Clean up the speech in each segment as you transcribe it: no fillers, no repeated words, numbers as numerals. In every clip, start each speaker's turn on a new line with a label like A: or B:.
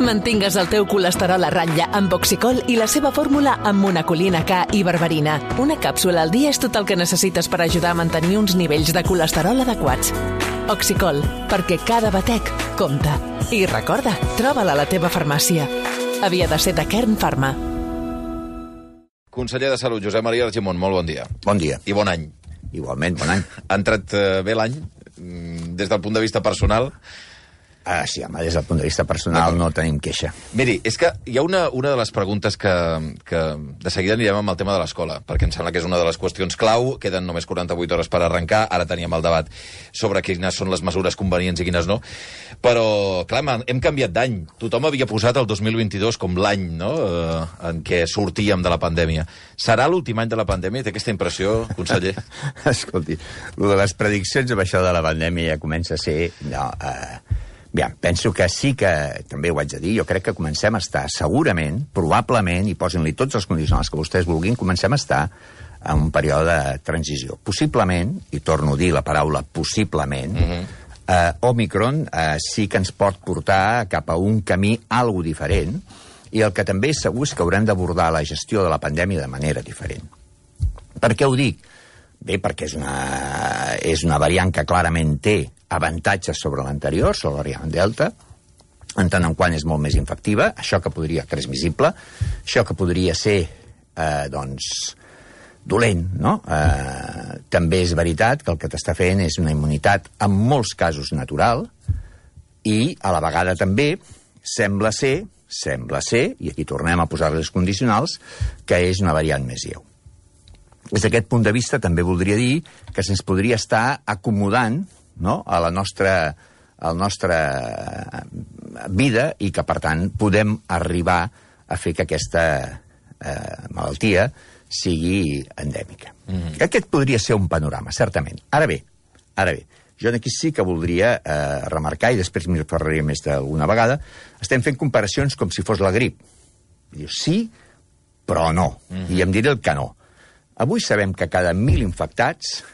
A: Mantingues el teu colesterol a ratlla amb Oxicol i la seva fórmula amb monacolina K i berberina. Una càpsula al dia és tot el que necessites per ajudar a mantenir uns nivells de colesterol adequats. Oxicol, perquè cada batec compta. I recorda, troba-la a la teva farmàcia. Havia de ser de Kern Pharma.
B: Conseller de Salut, Josep Maria Argimon, molt bon dia.
C: Bon dia.
B: I bon any.
C: Igualment, bon any.
B: Ha entrat bé l'any, des del punt de vista personal?
C: Sí, home, des del punt de vista personal no tenim queixa.
B: Miri, és que hi ha una de les preguntes que de seguida anirem amb el tema de l'escola, perquè em sembla que és una de les qüestions clau, queden només 48 hores per arrencar, ara teníem el debat sobre quines són les mesures convenients i quines no, però, clar, hem canviat d'any. Tothom havia posat el 2022 com l'any, no?, en què sortíem de la pandèmia. Serà l'últim any de la pandèmia? Té aquesta impressió, conseller?
C: Escolti, el de les prediccions amb això de la pandèmia ja comença a ser... Bien, penso que sí que, també ho haig de dir, jo crec que comencem a estar segurament, probablement, i posin-li tots els condicionals que vostès vulguin, comencem a estar en un període de transició. Possiblement, i torno a dir la paraula possiblement, Omicron sí que ens pot portar cap a un camí algo diferent, i el que també és segur és que haurem d'abordar la gestió de la pandèmia de manera diferent. Per què ho dic? Bé, perquè és una variant que clarament té avantatges sobre l'anterior, sobre la variant Delta, en tant en quant és molt més infectiva, això que podria transmissible, això que podria ser, dolent, no? També és veritat que el que t'està fent és una immunitat en molts casos natural i a la vegada també sembla ser, i aquí tornem a posar les condicionals, que és una variant més lleu. Des d'aquest punt de vista també voldria dir que se'ns podria estar acomodant, no?, a la nostra vida i que, per tant, podem arribar a fer que aquesta malaltia sigui endèmica. Aquest podria ser un panorama, certament. Ara bé, jo aquí sí que voldria remarcar, i després m'hi referiré més d'alguna vegada, estem fent comparacions com si fos la grip. Dius, sí, però no. I em diré el que no. Avui sabem que cada 1.000 infectats,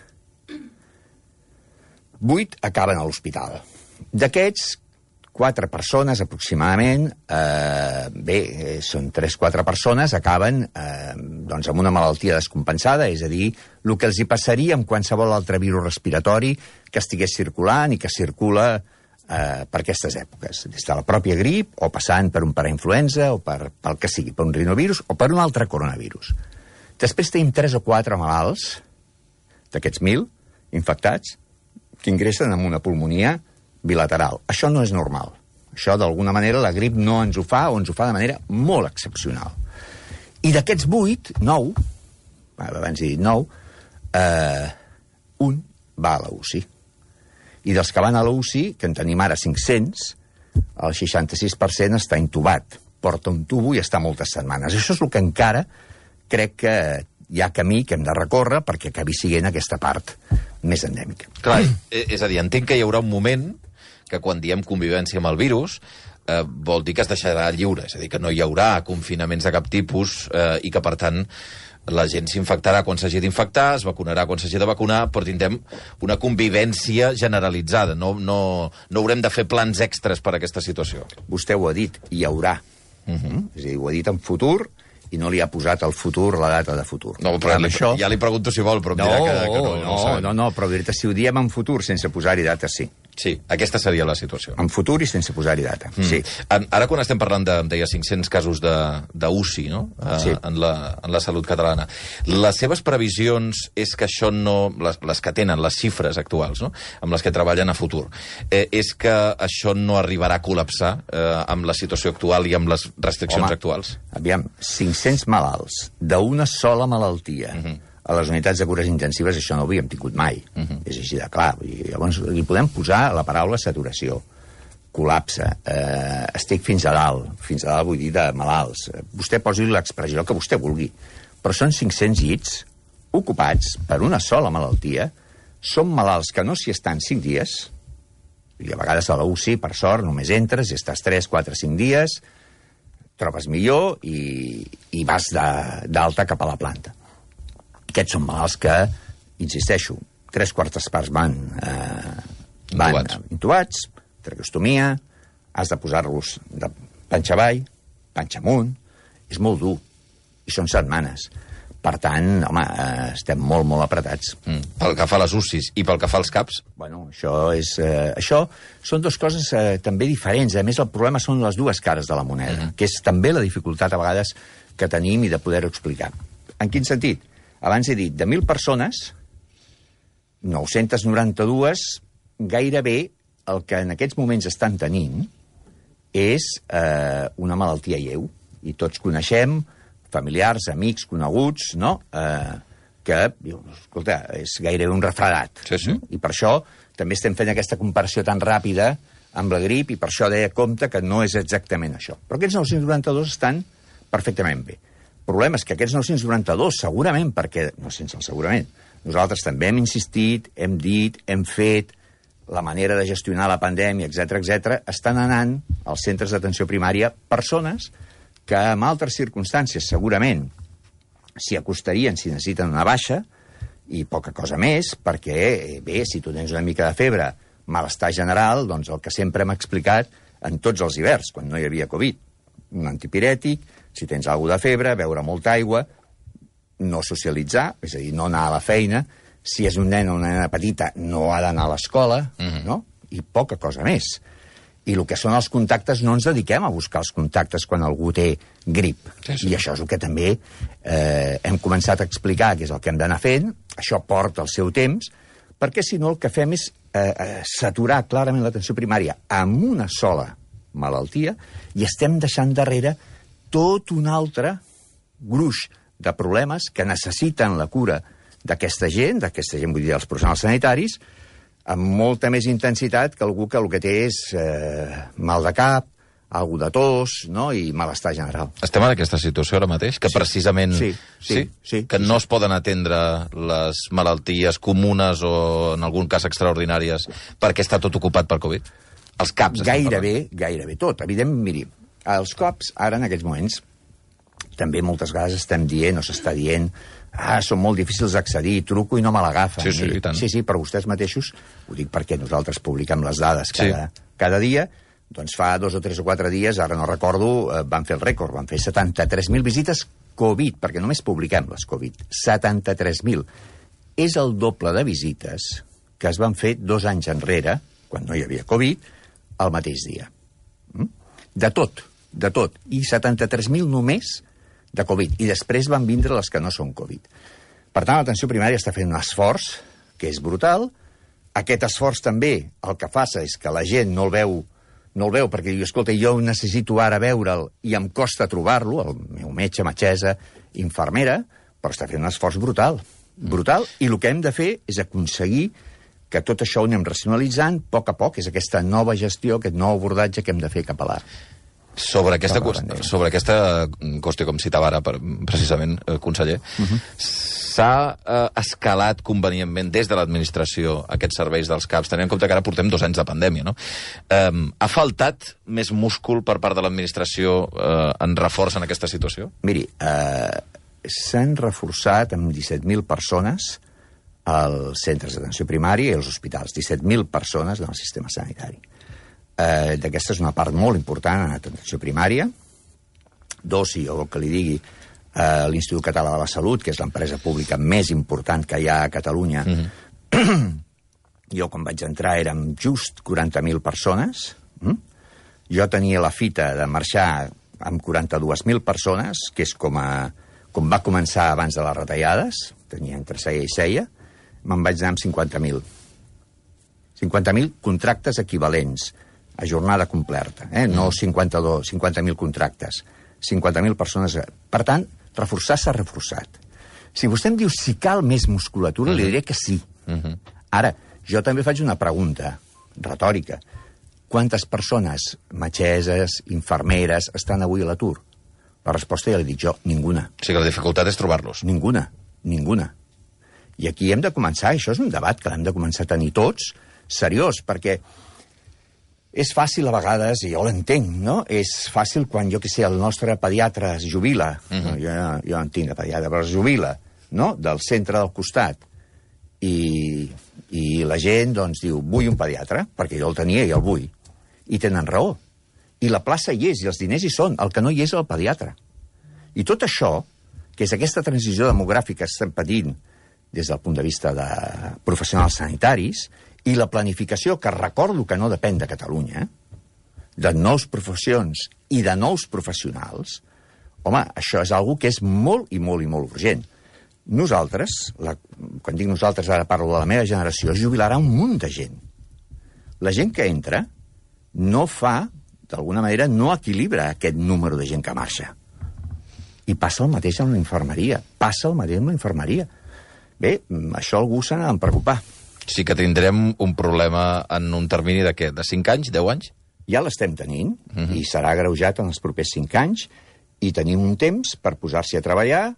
C: 8 acaben a l'hospital. D'aquests, 4 persones aproximadament, són 3-4 persones, acaben amb una malaltia descompensada, és a dir, el que els hi passaria amb qualsevol altre virus respiratori que estigués circulant i que circula per aquestes èpoques, des de la pròpia grip, o passant per un parainfluenza, o pel que sigui, per un rinovirus, o per un altre coronavirus. Després tenim 3 o 4 malalts, d'aquests 1.000 infectats, que ingressen amb una pulmonia bilateral. Això no és normal. Això, d'alguna manera, la grip no ens ho fa, o ens ho fa de manera molt excepcional. I d'aquests 8, 9, abans he dit 9, un va a la UCI. I dels que van a la UCI, que en tenim ara 500, el 66% està intubat. Porta un tubo i està moltes setmanes. Això és el que encara crec que hi ha camí que hem de recórrer perquè acabi sent aquesta part més endèmica.
B: Clar, és a dir, entenc que hi haurà un moment que quan diem convivència amb el virus vol dir que es deixarà lliure, és a dir, que no hi haurà confinaments de cap tipus i que, per tant, la gent s'infectarà quan s'hagi d'infectar, es vacunarà quan s'hagi de vacunar, però tindrem una convivència generalitzada. No haurem de fer plans extres per a aquesta situació.
C: Vostè ho ha dit, hi haurà. És a dir, ho ha dit en futur, i no li ha posat al futur la data de futur.
B: No, però ja li pregunto si vol, però em dirà que no.
C: No, però si ho diem en futur sense posar-hi data, sí.
B: Sí, aquesta seria la situació.
C: En futur i sense posar-hi data, sí.
B: Ara quan estem parlant de, em deia, 500 casos d'UCI, no?,
C: sí,
B: en la salut catalana, les seves previsions és que això no... Les que tenen, les xifres actuals, no?, amb les que treballen a futur, és que això no arribarà a col·lapsar amb la situació actual i amb les restriccions actuals?
C: Aviam, 500 malalts d'una sola malaltia... A les unitats de cures intensives això no ho havíem tingut mai. És així de clar. Llavors li podem posar la paraula saturació, col·lapse, estic fins a dalt vull dir de malalts. Vostè posi l'expressió que vostè vulgui. Però són 500 llits ocupats per una sola malaltia, són malalts que no s'hi estan 5 dies, i a vegades a la UCI, per sort, només entres i estàs 3, 4, 5 dies, trobes millor i vas d'alta cap a la planta. Aquests són malalts que, insisteixo, 3/4 parts van intubats, traqueostomia, has de posar-los panxa avall, panxa amunt, és molt dur, i són setmanes. Per tant, home, estem molt, molt apretats.
B: Pel que fa a les UCIs i pel que fa als CAPs?
C: Bueno, això són dues coses també diferents. A més, el problema són les dues cares de la moneda, que és també la dificultat a vegades que tenim i de poder-ho explicar. En quin sentit? Abans he dit, de 1.000 persones, 992, gairebé el que en aquests moments estan tenint és una malaltia lleu. I tots coneixem familiars, amics, coneguts, no? Que, escolta, és gairebé un refredat.
B: Sí.
C: I per això també estem fent aquesta comparació tan ràpida amb la grip, i per això deia compte que no és exactament això. Però aquests 992 estan perfectament bé. El problema és que aquests 992, segurament, perquè, no sense el segurament, nosaltres també hem insistit, hem dit, hem fet, la manera de gestionar la pandèmia, etc, estan anant als centres d'atenció primària persones que en altres circumstàncies segurament s'hi acostarien si necessiten una baixa, i poca cosa més, perquè, bé, si tu tens una mica de febre, malestar general, doncs el que sempre hem explicat en tots els hiverns, quan no hi havia Covid, un antipirètic, si tens alguna de febre, beure molta aigua, no socialitzar, és a dir, no anar a la feina, si és un nen o una nena petita, no ha d'anar a l'escola, no? I poca cosa més. I el que són els contactes, no ens dediquem a buscar els contactes quan algú té grip. I això és el que també hem començat a explicar, que és el que hem d'anar fent. Això porta el seu temps, perquè si no el que fem és saturar clarament l'atenció primària amb una sola malaltia, i estem deixant darrere tot un altre gruix de problemes que necessiten la cura d'aquesta gent vull dir, els professionals sanitaris, amb molta més intensitat que algú que el que té és mal de cap, algú de tos, no? I malestar general.
B: Estem en aquesta situació ara mateix? Que precisament...
C: Sí.
B: Que no es poden atendre les malalties comunes o, en algun cas, extraordinàries perquè està tot ocupat per Covid? Els CAPs...
C: Gairebé tot. Evidentment, miri, els CAPs, ara, en aquests moments, també moltes vegades estem dient o s'està dient són molt difícils d'accedir, truco i no me l'agafen.
B: Sí, i tant.
C: Sí, però vostès mateixos, ho dic perquè nosaltres publiquem les dades cada dia, doncs fa 2 o 3 o 4 dies, ara no recordo, van fer el rècord, van fer 73.000 visites Covid, perquè només publiquem les Covid. 73.000. És el doble de visites que es van fer 2 anys enrere, quan no hi havia Covid, al mateix dia. De tot. I 73.000 només de Covid, i després van vindre les que no són Covid. Per tant, l'atenció primària està fent un esforç que és brutal. Aquest esforç també el que fa és que la gent no el veu perquè diu, escolta, jo necessito ara veure'l i em costa trobar-lo, el meu metge, metgessa, infermera, però està fent un esforç brutal, i el que hem de fer és aconseguir que tot això ho anem racionalitzant a poc, és aquesta nova gestió, aquest nou abordatge que hem de fer cap a l'art.
B: Sobre aquesta qüestió, com citava ara, precisament, conseller, s'ha escalat convenientment des de l'administració aquests serveis dels CAPs, tenint en compte que ara portem 2 anys de pandèmia, no? Ha faltat més múscul per part de l'administració en reforç en aquesta situació?
C: Miri, s'han reforçat amb 17.000 persones als centres d'atenció primària i als hospitals. 17.000 persones en el sistema sanitari. D'aquesta és una part molt important en l'atenció primària. 2, si jo vol que li digui, l'Institut Català de la Salut, que és l'empresa pública més important que hi ha a Catalunya. Jo, quan vaig entrar, érem just 40.000 persones. Jo tenia la fita de marxar amb 42.000 persones, que és com va començar abans de les retallades. Tenia entre seia i seia. Me'n vaig anar amb 50.000. 50.000 contractes equivalents a jornada completa, no 50.000 contractes, 50.000 persones. Per tant, reforçar s'ha reforçat. Si vostè em diu si cal més musculatura, li diré que sí. Ara, jo també faig una pregunta retòrica. Quantes persones, metgesses, infermeres, estan avui a l'atur? La resposta ja l'he dit jo, ninguna.
B: O sigui que la dificultat és trobar-los.
C: Ninguna. I aquí hem de començar, això és un debat que l'hem de començar a tenir tots, seriós, perquè és fàcil a vegades, i jo l'entenc, no? És fàcil quan, jo que sé, el nostre pediatre es jubila, jo no en tinc de pediatre, però es jubila, no?, del centre del costat, i la gent, doncs, diu, vull un pediatre, perquè jo el tenia i el vull. I tenen raó. I la plaça hi és, i els diners hi són. El que no hi és el pediatre. I tot això, que és aquesta transició demogràfica que estem patint des del punt de vista de professionals sanitaris, i la planificació, que recordo que no depèn de Catalunya, de nous professions i de nous professionals, home, això és algo que és molt i molt i molt urgent. Nosaltres, quan dic nosaltres ara parlo de la meva generació, es jubilarà un munt de gent. La gent que entra no fa, d'alguna manera, no equilibra aquest número de gent que marxa. I passa el mateix amb la infermeria. Passa el mateix amb la infermeria. Bé, això algú se n'ha de preocupar.
B: Sí que tindrem un problema en un termini de què? De 5 anys? 10 anys?
C: Ja l'estem tenint, i serà agreujat en els propers 5 anys, i tenim un temps per posar-s'hi a treballar,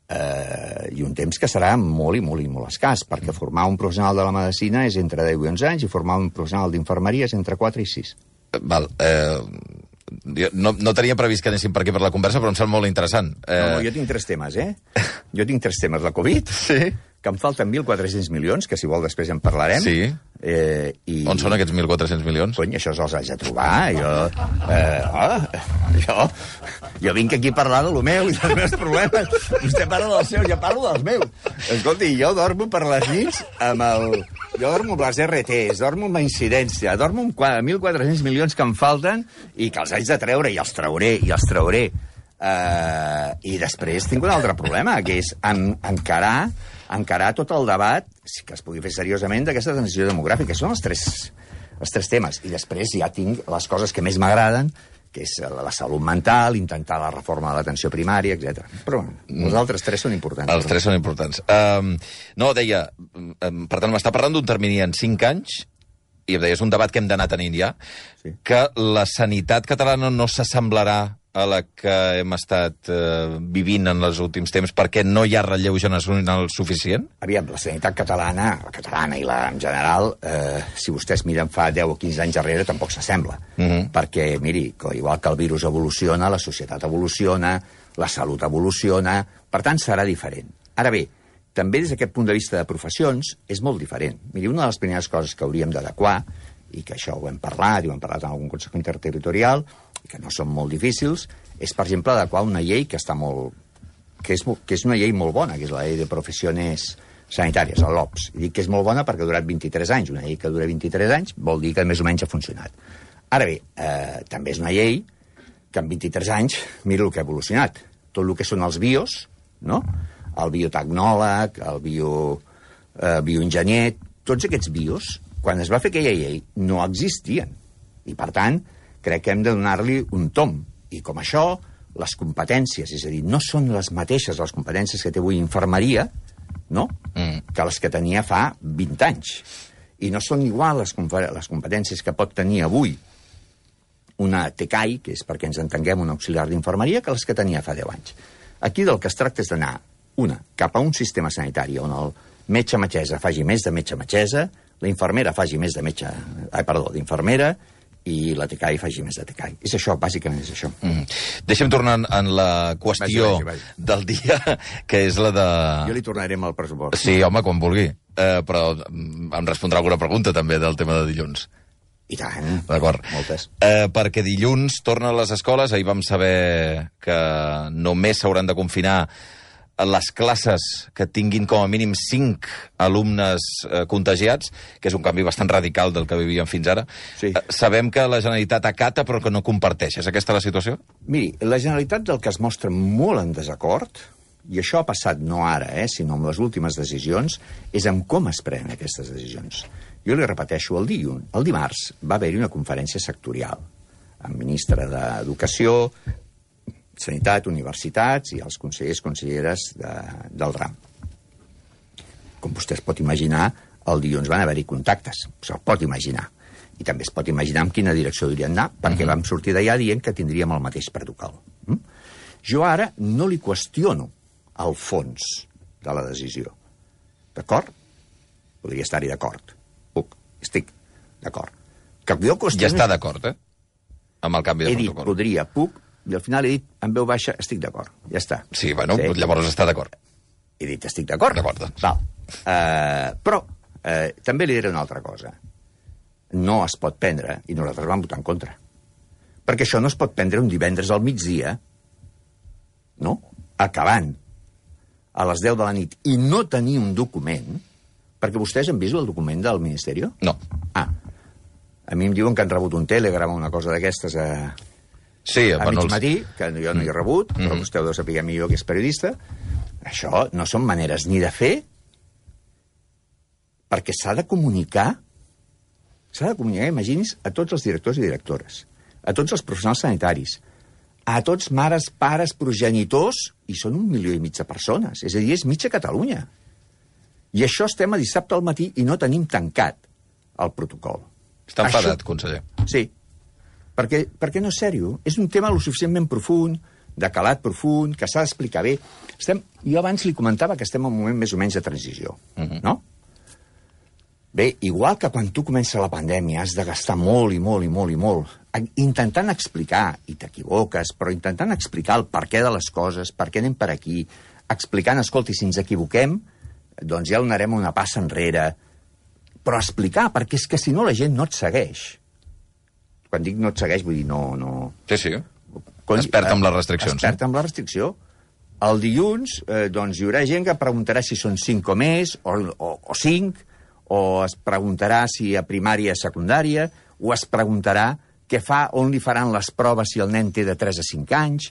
C: i un temps que serà molt i molt i molt escàs, perquè formar un professional de la medicina és entre 10 i 11 anys, i formar un professional d'infermeria és entre 4 i 6.
B: Val, no tenia previst que anéssim per aquí per la conversa, però em sembla molt interessant.
C: No, jo tinc 3 temes, Jo tinc 3 temes. La Covid, que em falten 1.400 milions, que si vol després en parlarem.
B: Sí.
C: I...
B: On són aquests 1.400 milions?
C: Cony, això els haig de trobar. Jo vinc aquí a parlar de lo meu i dels meus problemes. Vostè parla dels seus, jo parlo dels meus. Escolti, jo dormo per les nits amb el... Jo dormo amb les RTs, dormo amb la incidència, dormo amb 1.400 milions que em falten i que els haig de treure, i els trauré. I després tinc un altre problema, que és encarar tot el debat, que es pugui fer seriosament, d'aquesta transició demogràfica. Són els tres temes. I després ja tinc les coses que més m'agraden, que és la salut mental, intentar la reforma de l'atenció primària, etc. Però els altres 3 són importants.
B: Els 3 són importants. No, deia, per tant, m'està parlant d'un termini en 5 anys, i em deia, és un debat que hem d'anar tenint ja, que la sanitat catalana no s'assemblarà a la que hem estat vivint en els últims temps perquè no hi ha relleu generacional suficient?
C: Aviam, la sanitat catalana, i la en general, si vostès miren fa 10 o 15 anys darrere, tampoc s'assembla. Perquè, miri, igual que el virus evoluciona, la societat evoluciona, la salut evoluciona, per tant, serà diferent. Ara bé, també des d'aquest punt de vista de professions, és molt diferent. Miri, una de les primeres coses que hauríem d'adequar, i que això ho hem parlat, i ho hem parlat en algun consell interterritorial, i que no són molt difícils, és, per exemple, adequar una llei que està molt... que és una llei molt bona, que és la llei de professiones sanitàries, el LOPS. I dic que és molt bona perquè ha durat 23 anys. Una llei que dura 23 anys vol dir que més o menys ha funcionat. Ara bé, també és una llei que en 23 anys, mira el que ha evolucionat. Tot el que són els bios, no? El biotecnòleg, el bioenginyer, tots aquests bios, quan es va fer aquella llei, no existien. I, per tant, crec que hem de donar-li un tom. I com això, les competències, és a dir, no són les mateixes les competències que té avui infermeria, no?, que les que tenia fa 20 anys. I no són igual les competències que pot tenir avui una TECAI, que és perquè ens entenguem un auxiliar d'infermeria, que les que tenia fa 10 anys. Aquí del que es tracta és d'anar, cap a un sistema sanitari on el metge-metgessa faci més de metge-metgessa, la infermera faci més d'infermera, i la TECAI faci més de TECAI. És això, bàsicament és això.
B: Deixem tornar en la qüestió del dia, que és la de...
C: Jo li tornaré amb el pressupost.
B: Sí, home, quan vulgui. Però em respondrà alguna pregunta, també, del tema de dilluns.
C: I tant.
B: D'acord.
C: Moltes.
B: Perquè dilluns torna a les escoles. Ahir vam saber que només s'hauran de confinar les classes que tinguin com a mínim 5 alumnes contagiats, que és un canvi bastant radical del que vivíem fins ara.
C: Sí.
B: Sabem que la Generalitat acata però que no comparteix. És aquesta la situació?
C: Miri, la Generalitat del que es mostra molt en desacord, i això ha passat no ara, sinó amb les últimes decisions, és amb com es prenen aquestes decisions. Jo li repeteixo, el dimarts va haver-hi una conferència sectorial amb ministre d'Educació, Sanitat, Universitats i els consellers, conselleres del RAM. Com vostè es pot imaginar, el dilluns van haver-hi contactes, se'l pot imaginar. I també es pot imaginar en quina direcció hauríem d'anar, perquè vam sortir d'allà dient que tindríem el mateix protocol. Jo ara no li qüestiono el fons de la decisió. D'acord? Podria estar-hi d'acord. Estic d'acord.
B: Ja està d'acord, amb el canvi de protocol.
C: He dit, podria, puc, i al final he dit, en veu baixa, estic d'acord. Ja està.
B: Sí, bueno, llavors està d'acord.
C: He dit, estic d'acord.
B: D'acord, doncs.
C: Però també li diré una altra cosa. No es pot prendre, i nosaltres vam votar en contra. Perquè això no es pot prendre un divendres al migdia, no? Acabant a les 10 de la nit i no tenir un document, perquè vostès han vist el document del Ministeri?
B: No.
C: A mi em diuen que han rebut un telegram o una cosa d'aquestes a mig matí, que jo no hi he rebut, però vostè ho deu saber millor que és periodista. Això no són maneres ni de fer, perquè s'ha de comunicar, imagini's, a tots els directors i directores, a tots els professionals sanitaris, a tots mares, pares, progenitors, i són 1,5 milió de persones. És a dir, és mitja Catalunya. I això estem a dissabte al matí i no tenim tancat el protocol.
B: Està enfadat, conseller.
C: Sí. Perquè no és sèrio. És un tema lo suficientment profund, de calat profund, que s'ha d'explicar bé. Jo abans li comentava que estem en un moment més o menys de transició, no? Bé, igual que quan tu comença la pandèmia has de gastar molt i molt i molt i molt intentant explicar, i t'equivoques, però intentant explicar el perquè de les coses, per què anem per aquí, explicant, escolti, si ens equivoquem, doncs ja donarem una passa enrere, però explicar, perquè és que si no la gent no et segueix. Quan dic no et segueix, vull dir no...
B: Sí. Es perd amb les restriccions.
C: Es perd amb la restricció. El dilluns, doncs, hi haurà gent que preguntarà si són 5 o més, o 5, o es preguntarà si a primària o secundària, o es preguntarà què fa, on li faran les proves si el nen té de 3 a 5 anys,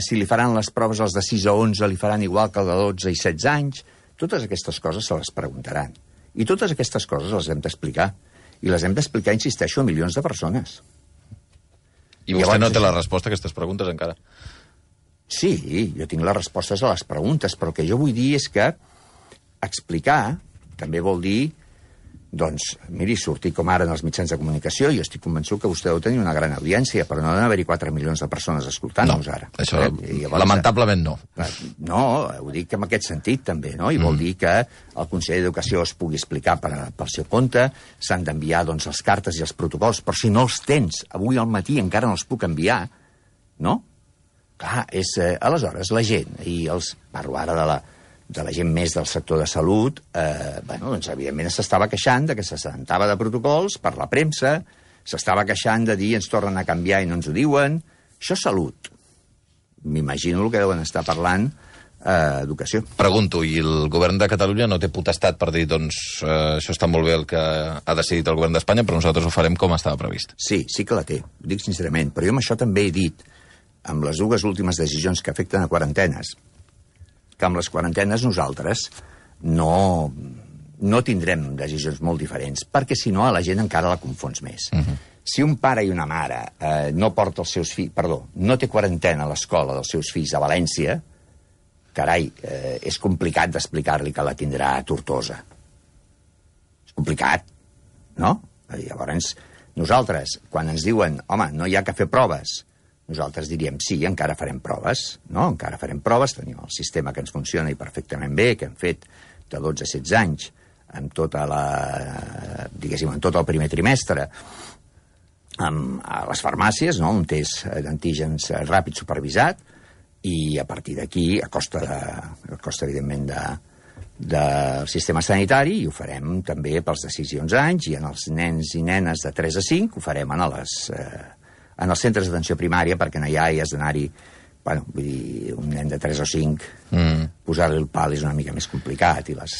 C: si li faran les proves als de 6 a 11 li faran igual que el de 12 i 16 anys. Totes aquestes coses se les preguntaran. I totes aquestes coses les hem d'explicar. I les hem d'explicar, insisteixo, a milions de persones.
B: I vostè no té la resposta a aquestes preguntes encara?
C: Sí, jo tinc les respostes a les preguntes, però el que jo vull dir és que explicar també vol dir, doncs, miri, sortir com ara en els mitjans de comunicació, jo estic convençut que vostè deu tenir una gran audiència, però no ha d'haver-hi 4 milions de persones escoltant-nos ara.
B: No, això llavors, lamentablement no.
C: No, ho dic en aquest sentit també, no? I vol dir que el Consell d'Educació es pugui explicar pel seu compte, s'han d'enviar, doncs, les cartes i els protocols, però si no els tens, avui al matí encara no els puc enviar, no? Clar, aleshores la gent, i parlo ara de la gent més del sector de salut, doncs, evidentment, s'estava queixant de que s'assentava de protocols per la premsa, s'estava queixant de dir ens tornen a canviar i no ens ho diuen. Això és salut. M'imagino el que deuen estar parlant educació.
B: Pregunto, i el govern de Catalunya no té potestat per dir, doncs, això està molt bé el que ha decidit el govern d'Espanya, però nosaltres ho farem com estava previst?
C: Sí que la té, ho dic sincerament, però jo amb això també he dit, amb les dues últimes decisions que afecten a quarantenes, que amb les quarantenes nosaltres no tindrem decisions molt diferents, perquè si no a la gent encara la confons més. Si un pare i una mare no porta els seus fills, no té quarantena a l'escola dels seus fills a València, carai, és complicat d'explicar-li que la tindrà a Tortosa. És complicat, no? Llavors, nosaltres, quan ens diuen, home, no hi ha que fer proves, nosaltres diríem, sí, encara farem proves, no? Encara farem proves, tenim el sistema que ens funciona i perfectament bé, que hem fet de 12 a 16 anys, amb tota amb tot el primer trimestre, a les farmàcies, no? Un test d'antígens ràpid supervisat, i a partir d'aquí, a costa, evidentment, del sistema sanitari, i ho farem també pels de 6 i 11 anys, i en els nens i nenes de 3 a 5 ho farem en els centres d'atenció primària, perquè no hi has d'anar-hi, vull dir, un nen de 3 o 5, posar-li el pal és una mica més complicat, i les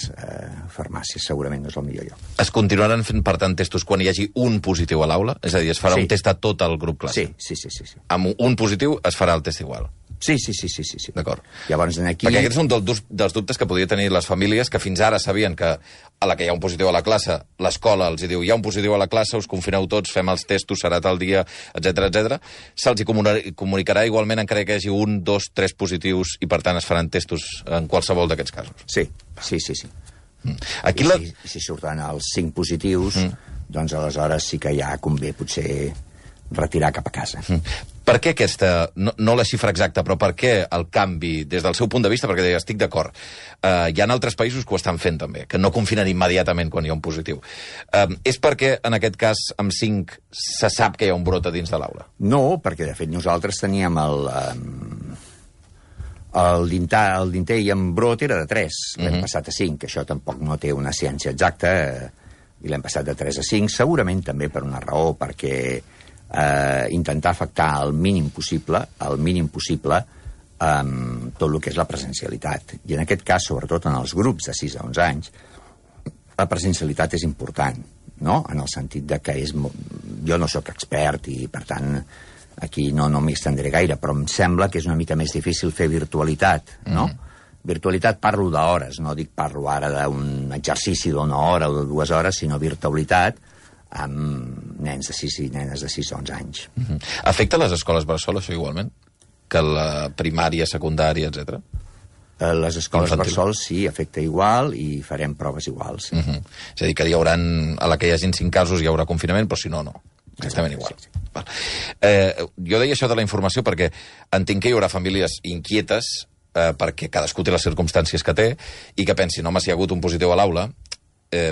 C: farmàcies segurament no és el millor lloc.
B: Es continuaran fent, per tant, testos quan hi hagi un positiu a l'aula? És a dir, es farà un test a tot el grup classe?
C: Sí.
B: Amb un positiu es farà el test igual?
C: Sí.
B: D'acord.
C: Llavors, aquí...
B: Perquè aquest és un dels dubtes que podria tenir les famílies, que fins ara sabien que a la que hi ha un positiu a la classe, l'escola els diu, hi ha un positiu a la classe, us confineu tots, fem els testos, serà tal dia, etc. Se'ls comunicarà igualment encara que hi hagi 1, 2, 3 positius i, per tant, es faran testos en qualsevol d'aquests casos?
C: Sí.
B: Aquí
C: si surten els 5 positius, doncs aleshores sí que ja convé potser retirar cap a casa.
B: Per què aquesta, no la xifra exacta, però per què el canvi, des del seu punt de vista, perquè estic d'acord, hi ha altres països que ho estan fent també, que no confinen immediatament quan hi ha un positiu. És perquè, en aquest cas, amb 5, se sap que hi ha un brot a dins de l'aula?
C: No, perquè, de fet, nosaltres teníem el dinter i en brot era de 3, l'hem passat a 5, això tampoc no té una ciència exacta, i l'hem passat de 3 a 5, segurament també per una raó, perquè intentar afectar al mínim possible tot el que és la presencialitat. I en aquest cas, sobretot en els grups de 6 a 11 anys, la presencialitat és important, no? En el sentit de que jo no sóc expert i, per tant, aquí no m'hi estendré gaire, però em sembla que és una mica més difícil fer virtualitat, no? Virtualitat parlo d'hores, no parlo ara d'un exercici d'una hora o de 2 hores, sinó virtualitat amb nens de 6 i nenes de 6 a 11 anys.
B: Afecta les escoles bressol, això, igualment? Que la primària, secundària, etc.
C: Les escoles bressol sí, afecta igual i farem proves iguals. Sí.
B: És a dir, que hi haurà, a la que hi hagin 5 casos hi haurà confinament, però si no, no. Exactament igual. Sí. Jo deia això de la informació perquè entenc que hi haurà famílies inquietes perquè cadascú té les circumstàncies que té i que pensin, home, si hi ha hagut un positiu a l'aula,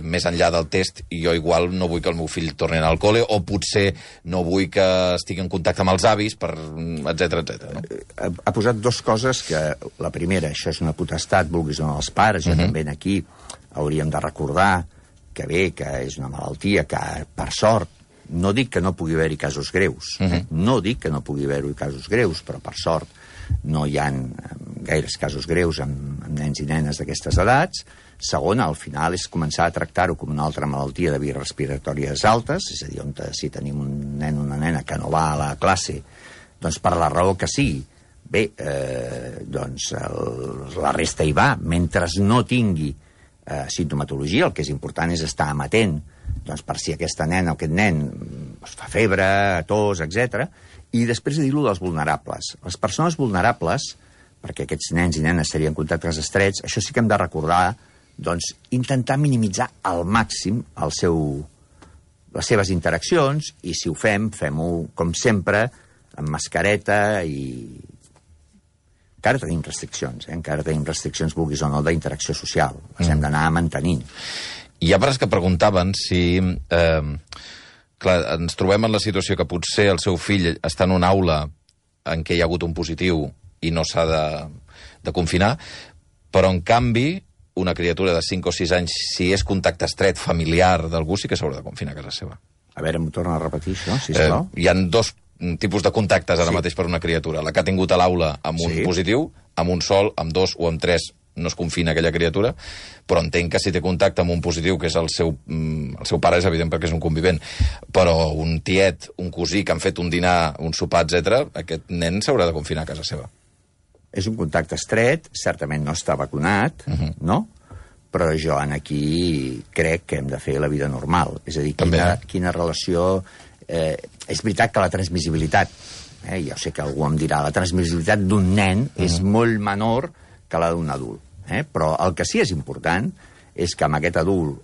B: més enllà del test, jo igual no vull que el meu fill torni a anar al col·le, o potser no vull que estigui en contacte amb els avis, etc. No?
C: Ha posat 2 coses que, la primera, això és una potestat, vulguis o no, els pares, jo també aquí hauríem de recordar que bé, que és una malaltia que, per sort, no dic que no pugui haver-hi casos greus, no dic que no pugui haver-hi casos greus, però per sort no hi ha gaires casos greus amb nens i nenes d'aquestes edats. Segona, al final, és començar a tractar-ho com una altra malaltia de vies respiratòries altes, és a dir, si tenim un nen o una nena que no va a la classe, doncs per la raó que sigui, bé, doncs la resta hi va, mentre no tingui simptomatologia, el que és important és estar amatent, doncs per si aquesta nena o aquest nen fa febre, tos, etc. I després de dir-lo dels vulnerables. Les persones vulnerables, perquè aquests nens i nenes serien contactes estrets, això sí que hem de recordar, doncs, intentar minimitzar al màxim les seves interaccions, i si ho fem-ho, com sempre, amb mascareta i... Encara tenim restriccions, vulguis o no, d'interacció social. Les hem d'anar mantenint.
B: Hi ha pares que preguntaven si... clar, ens trobem en la situació que potser el seu fill està en una aula en què hi ha hagut un positiu i no s'ha de confinar, però en canvi una criatura de 5 o 6 anys, si és contacte estret familiar d'algú, sí que s'haurà de confinar a casa seva.
C: A veure, m'ho torna a repetir, això, sisplau.
B: Hi ha 2 tipus de contactes ara mateix per una criatura. La que ha tingut a l'aula amb un positiu, amb un sol, amb 2 o amb 3 no es confina aquella criatura, però entenc que si té contacte amb un positiu, que és el seu pare, és evident perquè és un convivent, però un tiet, un cosí que han fet un dinar, un sopar, etc., aquest nen s'haurà de confinar a casa seva.
C: És un contacte estret, certament no està vacunat, no? Però jo aquí crec que hem de fer la vida normal. És a dir, quina relació... és veritat que la transmissibilitat, jo sé que algú em dirà, la transmissibilitat d'un nen és molt menor que la d'un adult. Però el que sí és important és que amb aquest adult,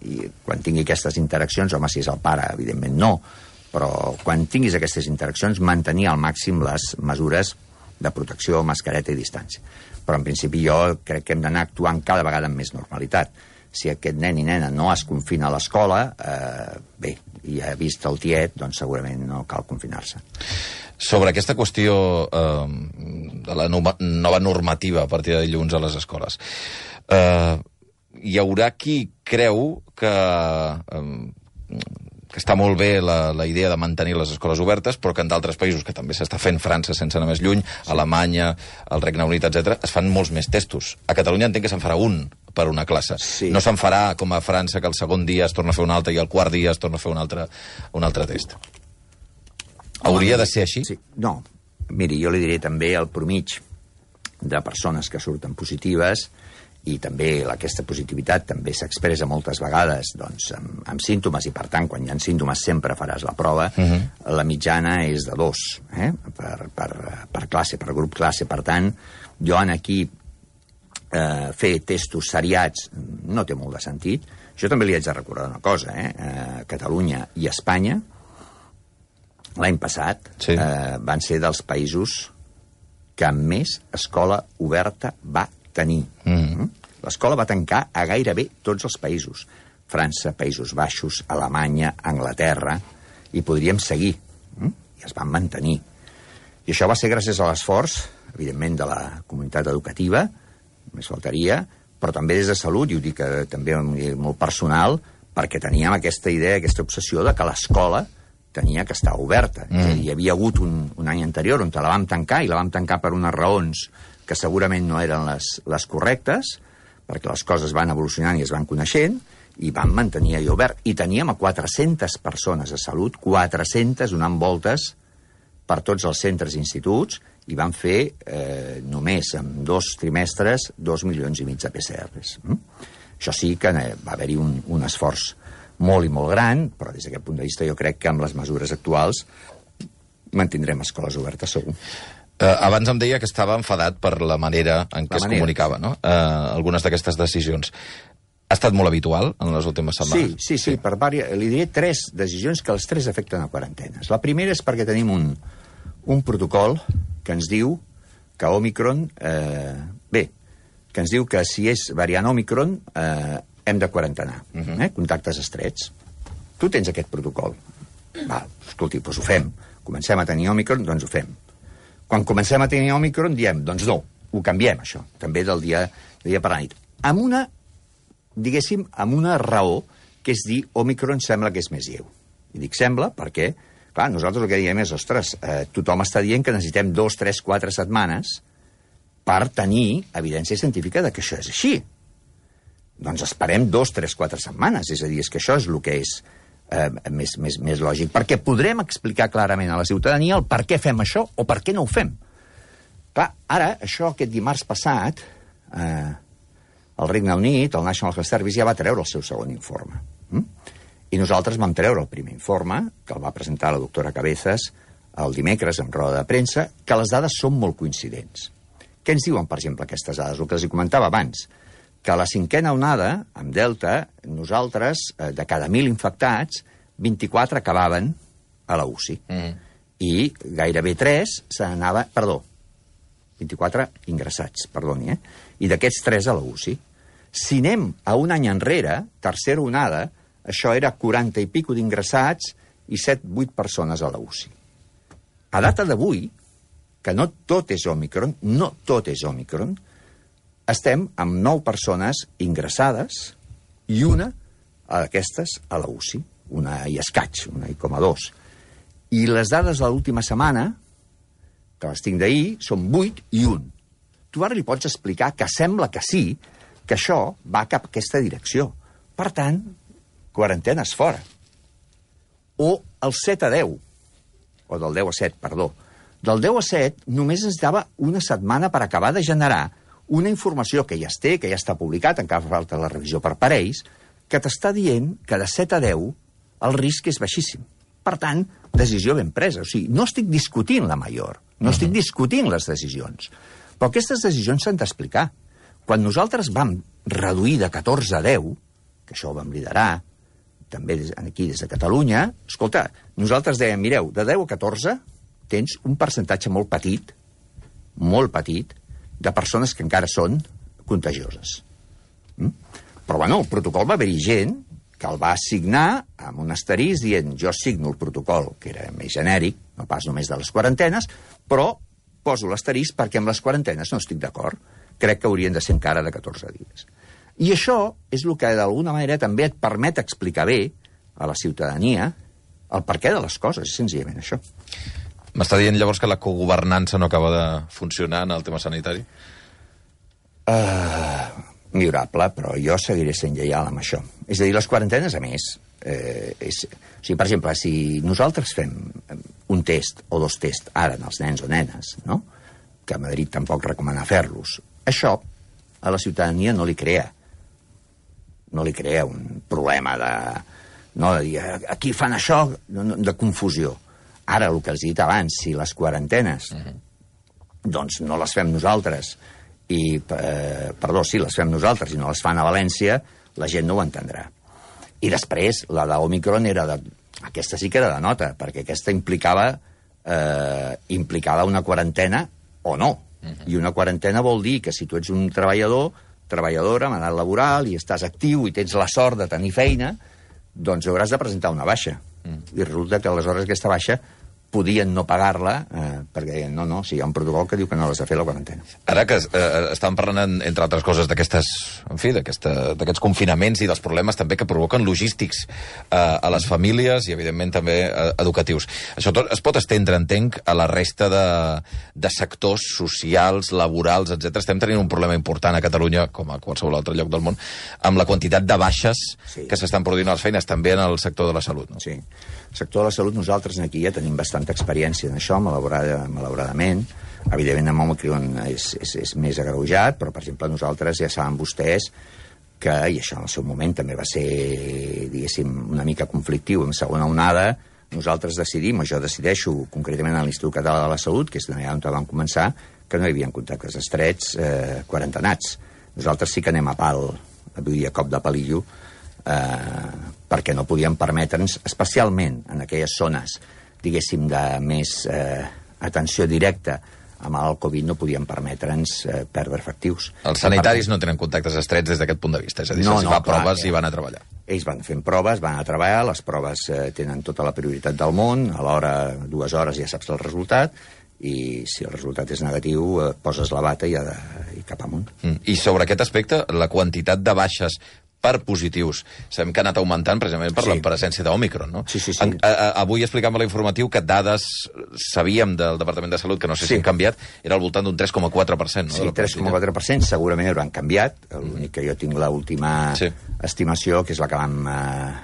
C: i quan tingui aquestes interaccions, home, si és el pare, evidentment no, però quan tinguis aquestes interaccions, mantenir al màxim les mesures de protecció, mascareta i distància. Però en principi jo crec que hem d'anar actuant cada vegada amb més normalitat. Si aquest nen i nena no es confina a l'escola, bé, i ha vist el tiet, doncs segurament no cal confinar-se.
B: Sobre aquesta qüestió de la nova normativa a partir de dilluns a les escoles, hi haurà qui creu que està molt bé la idea de mantenir les escoles obertes, però que en d'altres països, que també s'està fent, França, sense anar més lluny, Alemanya, el Regne Unit, etc., es fan molts més testos. A Catalunya entenc que se'n farà un per una classe. Sí. No se'n farà com a França, que el segon dia es torna a fer un altre i el quart dia es torna a fer un altre test. Hauria de ser així?
C: Sí. No. Miri, jo li diré també el promig de persones que surten positives, i també aquesta positivitat també s'expressa moltes vegades doncs, amb símptomes, i per tant, quan hi ha símptomes sempre faràs la prova. La mitjana és de 2 per classe, per grup classe. Per tant, jo aquí fer testos seriats no té molt de sentit. Jo també li haig de recordar una cosa, Catalunya i Espanya l'any passat van ser dels països que més escola oberta va tenir. L'escola va tancar a gairebé tots els països. França, Països Baixos, Alemanya, Anglaterra, i podríem seguir. I es van mantenir. I això va ser gràcies a l'esforç, evidentment, de la comunitat educativa, més faltaria, però també des de Salut, i ho dic també molt personal, perquè teníem aquesta idea, aquesta obsessió de que l'escola tenia que estar oberta. Hi havia hagut un any anterior on la vam tancar, i la vam tancar per unes raons que segurament no eren les correctes, perquè les coses van evolucionant i es van coneixent, i vam mantenir allò obert. I teníem a 400 persones a Salut, 400 donant voltes per tots els centres i instituts, i van fer només en 2 trimestres 2,5 milions de PCRs. Això sí que va haver-hi un esforç molt i molt gran, però des d'aquest punt de vista jo crec que amb les mesures actuals mantindrem escoles obertes, segur.
B: Abans em deia que estava enfadat per la manera en què es comunicava, no? Algunes d'aquestes decisions. Ha estat molt habitual en les últimes setmanes?
C: Sí. Li diré 3 decisions que les 3 afecten a quarantenes. La primera és perquè tenim un protocol que ens diu que Òmicron... que ens diu que si és variant Òmicron hem de quarantenar, contactes estrets. Tu tens aquest protocol. Escolti, doncs ho fem. Comencem a tenir Òmicron, doncs ho fem. Quan comencem a tenir Òmicron diem, doncs no, ho canviem, això, també del dia per la nit. Amb una raó, que és dir, Òmicron sembla que és més lleu. I dic sembla perquè, clar, nosaltres el que diem és, ostres, tothom està dient que necessitem 2, 3, 4 setmanes per tenir evidència científica de que això és així. Doncs esperem 2, 3, 4 setmanes. És a dir, és que això és el que és més lògic. Perquè podrem explicar clarament a la ciutadania el per què fem això o per què no ho fem. Clar, ara, això aquest dimarts passat, el Regne Unit, el National Health Service, ja va treure el seu segon informe. I nosaltres vam treure el primer informe, que el va presentar la doctora Cabezas el dimecres en roda de premsa, que les dades són molt coincidents. Què ens diuen, per exemple, aquestes dades? El que els comentava abans, que a la 5a onada, amb Delta, nosaltres, de cada 1.000 infectats, 24 acabaven a la UCI. I gairebé 3 se n'anava... Perdó, 24 ingressats, perdoni, I d'aquests 3 a la UCI. Si anem a un any enrere, tercera onada, això era 40 i pico d'ingressats i 7-8 persones a la UCI. A data d'avui, que no tot és Òmicron, estem amb 9 persones ingressades i una d'aquestes a la UCI, una i escaig, 1,2. I les dades de l'última setmana, que les tinc d'ahir, són 8 i 1. Tu ara li pots explicar que sembla que sí, que això va cap a aquesta direcció. Per tant, quarantenes fora. O el 7 a 10, o del 10 a 7, perdó. Del 10 a 7 només ens dava una setmana per acabar de generar una informació que ja es té, que ja està publicat, encara falta la revisió per parells, que t'està dient que de 7 a 10 el risc és baixíssim. Per tant, decisió ben presa. O sigui, no estic discutint la major, no estic discutint les decisions. Però aquestes decisions s'han d'explicar. Quan nosaltres vam reduir de 14 a 10, que això ho vam liderar, també aquí des de Catalunya, escolta, nosaltres dèiem, mireu, de 10 a 14 tens un percentatge molt petit, de persones que encara són contagioses. Però, bueno, el protocol va haver-hi gent que el va signar amb un asterisc dient jo signo el protocol, que era més genèric, no pas només de les quarantenes, però poso l'asterisc perquè amb les quarantenes no estic d'acord. Crec que haurien de ser encara de 14 dies. I això és el que, d'alguna manera, també et permet explicar bé a la ciutadania el perquè de les coses, és senzillament això.
B: M'està dient llavors que la cogovernança no acaba de funcionar en el tema sanitari?
C: Millorable, però jo seguiré sent lleial amb això. És a dir, les quarantenes, a més, o sigui, per exemple, si nosaltres fem un test o 2 tests ara en els nens o nenes, no? Que a Madrid tampoc recomana fer-los, això a la ciutadania no li crea un problema de dir aquí fan això, de confusió. Ara, el que els he dit abans, si les quarantenes doncs no les fem nosaltres les fem nosaltres i no les fan a València, la gent no ho entendrà. I després, la d'Òmicron aquesta sí que era de nota, perquè aquesta implicava una quarantena o no. I una quarantena vol dir que si tu ets un treballadora, amb edat laboral, i estàs actiu i tens la sort de tenir feina, doncs hauràs de presentar una baixa. I resulta que aleshores aquesta baixa podien no pagar-la perquè no, si hi ha un protocol que diu que no l'has de fer la quarantena.
B: Ara que estàvem parlant, entre altres coses, d'aquests confinaments i dels problemes també que provoquen logístics a les famílies i, evidentment, també educatius. Això tot es pot estendre, entenc, a la resta de sectors socials, laborals, etc. Estem tenint un problema important a Catalunya, com a qualsevol altre lloc del món, amb la quantitat de baixes que s'estan produint a les feines, també en el sector de la salut. No?
C: Sí. El sector de la salut, nosaltres aquí ja tenim bastanta experiència en això, malauradament. Evidentment, amb Omicron és més agreujat, però, per exemple, nosaltres ja saben vostès que, i això en el seu moment també va ser, diguéssim, una mica conflictiu en segona onada, nosaltres decidim, o jo decideixo, concretament a l'Institut Català de la Salut, que és allà on vam començar, que no hi havia contactes estrets quarantenats. Nosaltres sí que anem a pal, vull dir, a cop de palillo, perquè no podíem permetre'ns, especialment en aquelles zones, diguéssim, de més atenció directa amb el Covid, no podíem permetre'ns perdre efectius.
B: Els sanitaris no tenen contactes estrets des d'aquest punt de vista, és a dir, se'ls fa proves i van a treballar.
C: Ells van fent proves, van a treballar, les proves tenen tota la prioritat del món, a l'hora, 2 hores ja saps el resultat, i si el resultat és negatiu, poses la bata i cap amunt.
B: I sobre aquest aspecte, la quantitat de baixes per positius, sabem que ha anat augmentant precisament per la presència d'Òmicron, no?
C: Sí.
B: Avui explicàvem a l'informatiu que dades sabíem del Departament de Salut, que no sé si han canviat, era al voltant d'un 3,4%.
C: Sí, 3,4%, segurament hauran canviat. L'únic que jo tinc l'última estimació, que és la que vam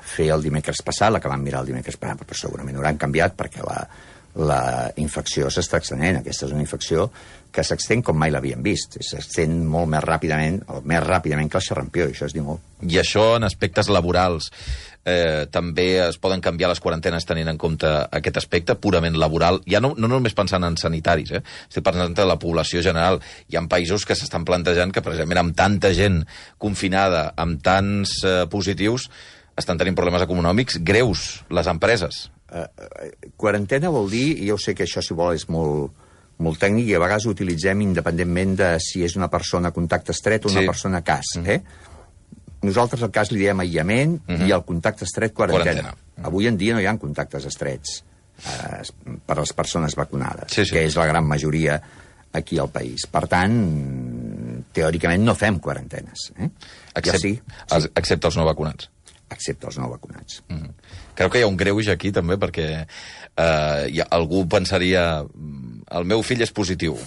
C: fer el dimecres passat, la que vam mirar el dimecres passat, però segurament hauran canviat perquè la infecció s'està extenent. Aquesta és una infecció que s'extén com mai l'havíem vist. S'extén molt més ràpidament, o més ràpidament que el xerrampió, i això es diu molt.
B: I això en aspectes laborals també es poden canviar les quarantenes tenint en compte aquest aspecte purament laboral, ja no només pensant en sanitaris, estic pensant en la població general. Hi ha països que s'estan plantejant que precisament amb tanta gent confinada, amb tants positius, estan tenint problemes econòmics greus, les empreses.
C: Quarantena vol dir, i jo sé que això, si vol, és molt tècnic, i a vegades ho utilitzem independentment de si és una persona contacte estret o una persona cas. Nosaltres al cas li diem aïllament i al contacte estret quarantena. Avui en dia no hi ha contactes estrets per a les persones vacunades, que és la gran majoria aquí al país. Per tant, teòricament no fem quarantenes.
B: Excepte els no vacunats.
C: Excepte els no vacunats.
B: Creu que hi ha un greuge aquí, també, perquè algú pensaria el meu fill és positiu.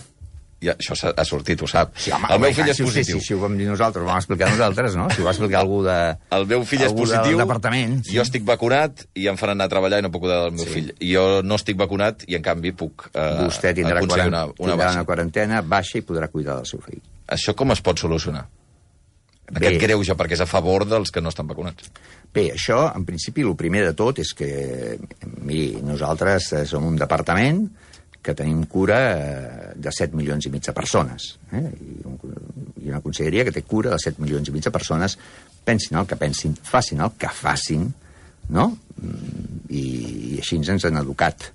B: I això ha sortit, ho sap.
C: Sí, home,
B: el meu fill és positiu.
C: Si ho vam dir nosaltres, ho vam explicar nosaltres, no? Si ho va explicar algú
B: el meu fill és positiu,
C: del departament.
B: Jo estic vacunat i em faran anar a treballar i no puc cuidar del meu fill. I jo no estic vacunat i, en canvi, puc
C: vostè tindrà una quarantena baixa i podrà cuidar del seu fill.
B: Això com es pot solucionar? Aquest greuge, perquè és a favor dels que no estan vacunats.
C: Bé, això, en principi, el primer de tot és que, miri, nosaltres som un departament que tenim cura de 7 milions i mig de persones. I una conselleria que té cura de 7 milions i mig de persones, pensin el que pensin, facin el que facin, no? I així ens han educat.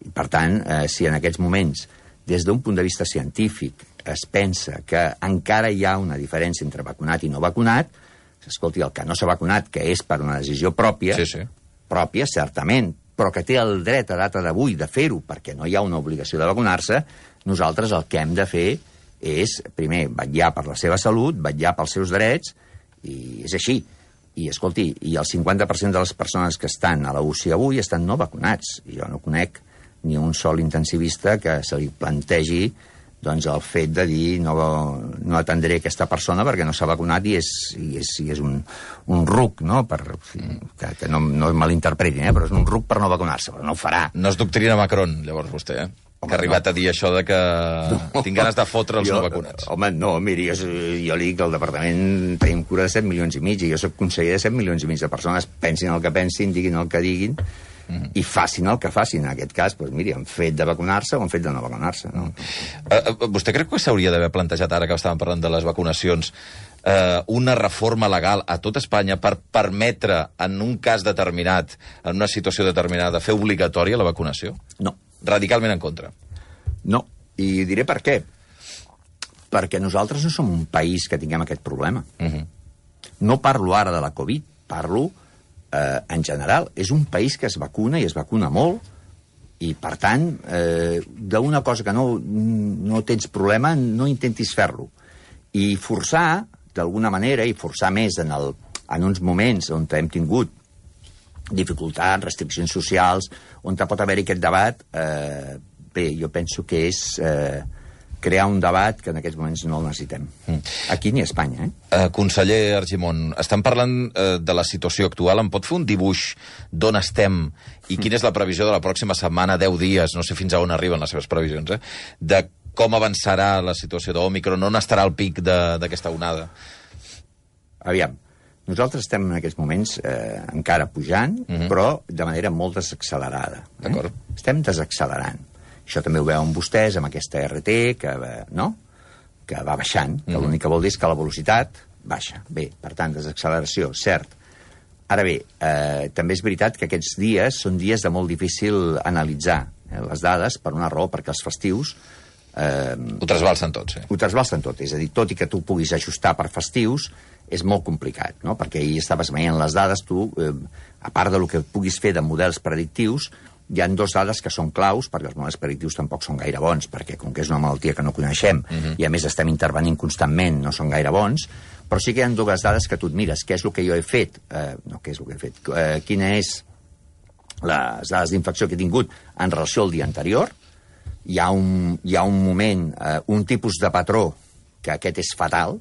C: I, per tant, si en aquests moments, des d'un punt de vista científic, es pensa que encara hi ha una diferència entre vacunat i no vacunat, escolti, el que no s'ha vacunat, que és per una decisió pròpia, pròpia, certament, però que té el dret a data d'avui de fer-ho perquè no hi ha una obligació de vacunar-se, nosaltres el que hem de fer és, primer, vetllar per la seva salut, vetllar pels seus drets, i és així. I, escolti, i el 50% de les persones que estan a la UCI avui estan no vacunats. I jo no conec ni un sol intensivista que se li plantegi doncs el fet de dir no atendré aquesta persona perquè no s'ha vacunat i és un ruc, no? Que no malinterpretin, però és un ruc per no vacunar-se, però no ho farà.
B: No es doctrina Macron, llavors, vostè, que ha arribat a dir això de que tinc ganes de fotre els no vacunats.
C: Home, no, miri, jo li dic que al departament tenim cura de 7 milions i mig i jo soc conseller de 7 milions i mig de persones, pensin el que pensin, diguin el que diguin, i facin el que facin. En aquest cas, doncs, miri, han fet de vacunar-se o han fet de no vacunar-se. No?
B: Vostè creu que s'hauria d'haver plantejat, ara que estàvem parlant de les vacunacions, una reforma legal a tot Espanya per permetre, en un cas determinat, en una situació determinada, fer obligatòria la vacunació?
C: No.
B: Radicalment en contra?
C: No, i diré per què. Perquè nosaltres no som un país que tinguem aquest problema. No parlo ara de la Covid, parlo en general. És un país que es vacuna i es vacuna molt I, per tant, d'una cosa que no tens problema, no intentis fer-lo. I forçar, d'alguna manera, i forçar més en uns moments on hem tingut dificultats, restriccions socials, on pot haver-hi aquest debat, bé, jo penso que és crear un debat que en aquests moments no el necessitem. Aquí ni a Espanya,
B: Conseller Argimon, estan parlant de la situació actual. Em pot fer un dibuix d'on estem i quina és la previsió de la pròxima setmana, 10 dies, no sé fins a on arriben les seves previsions, de com avançarà la situació d'Òmicron, on estarà el pic d'aquesta onada?
C: Aviam, nosaltres estem en aquests moments encara pujant, però de manera molt desaccelerada.
B: D'acord.
C: Estem desaccelerant. Això també ho veuen vostès amb aquesta RT, que va baixant, que l'únic que vol dir és que la velocitat baixa. Bé, per tant, desacceleració, cert. Ara bé, també és veritat que aquests dies són dies de molt difícil analitzar les dades, per una raó, perquè els festius...
B: Ho trasbalsen tot, sí.
C: Ho trasbalsen tot, és a dir, tot i que tu puguis ajustar per festius, és molt complicat, no? Perquè ahir estaves veient les dades, tu, a part del que puguis fer de models predictius, hi ha dues dades que són claus, perquè els models predictius tampoc són gaire bons, perquè com que és una malaltia que no coneixem, i a més estem intervenint constantment, no són gaire bons, però sí que hi ha dues dades que tu et mires, què és el que jo he fet, quina és les dades d'infecció que he tingut en relació al dia anterior. Hi ha un moment, un tipus de patró, que aquest és fatal,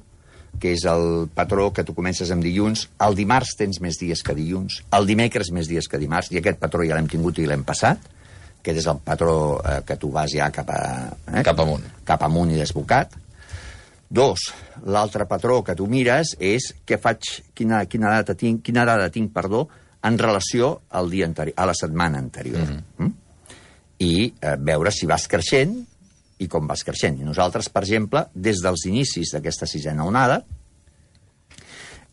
C: que és el patró que tu comences amb dilluns, el dimarts tens més dies que dilluns, el dimecres més dies que dimarts, i aquest patró ja l'hem tingut i l'hem passat, aquest és el patró que tu vas ja cap
B: amunt.
C: Cap amunt i desbocat. 2, l'altre patró que tu mires és què faig, quina dada tinc, en relació al dia anterior, a la setmana anterior. I veure si vas creixent i com vas creixent. I nosaltres, per exemple, des dels inicis d'aquesta sisena onada,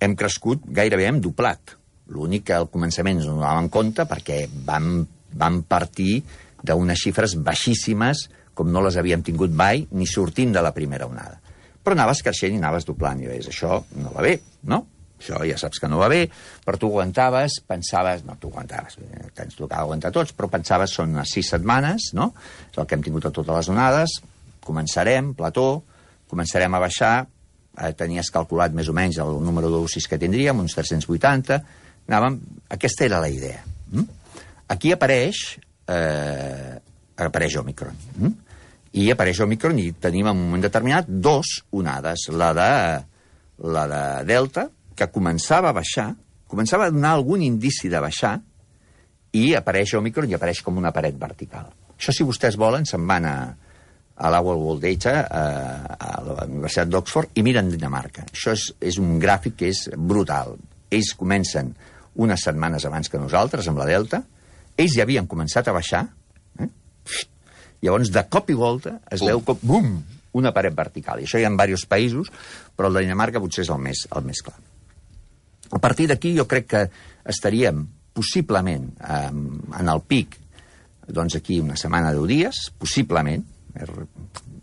C: hem crescut, gairebé hem doblat. L'únic que al començament no donàvem compte perquè vam partir d'unes xifres baixíssimes com no les havíem tingut mai ni sortint de la primera onada. Però anaves creixent i anaves doblant. I deies, això no va bé, no? Això ja saps que no va bé, però tu aguantaves, pensaves... No, tu aguantaves, ens tocava aguantar tots, però pensaves, són unes 6 setmanes, no? És el que hem tingut a totes les onades, començarem, plató, començarem a baixar, tenies calculat més o menys el número d'UCIs que tindríem, uns 380, anàvem... Aquesta era la idea. Aquí apareix Òmicron. I apareix Òmicron i tenim en un moment determinat 2 onades, la de Delta, que començava a baixar, començava a donar algun indici de baixar, i apareix Òmicron i apareix com una paret vertical. Això, si vostès volen, se'n van a la World Data, a la Universitat d'Oxford, i miren Dinamarca. Això és un gràfic que és brutal. Ells comencen unes setmanes abans que nosaltres, amb la Delta, ells ja havien començat a baixar, llavors, de cop i volta, es veu com, bum, una paret vertical. I això hi ha en diversos països, però el de Dinamarca potser és el més clar. A partir d'aquí jo crec que estaríem possiblement en el pic, doncs aquí una setmana, 10 dies, possiblement,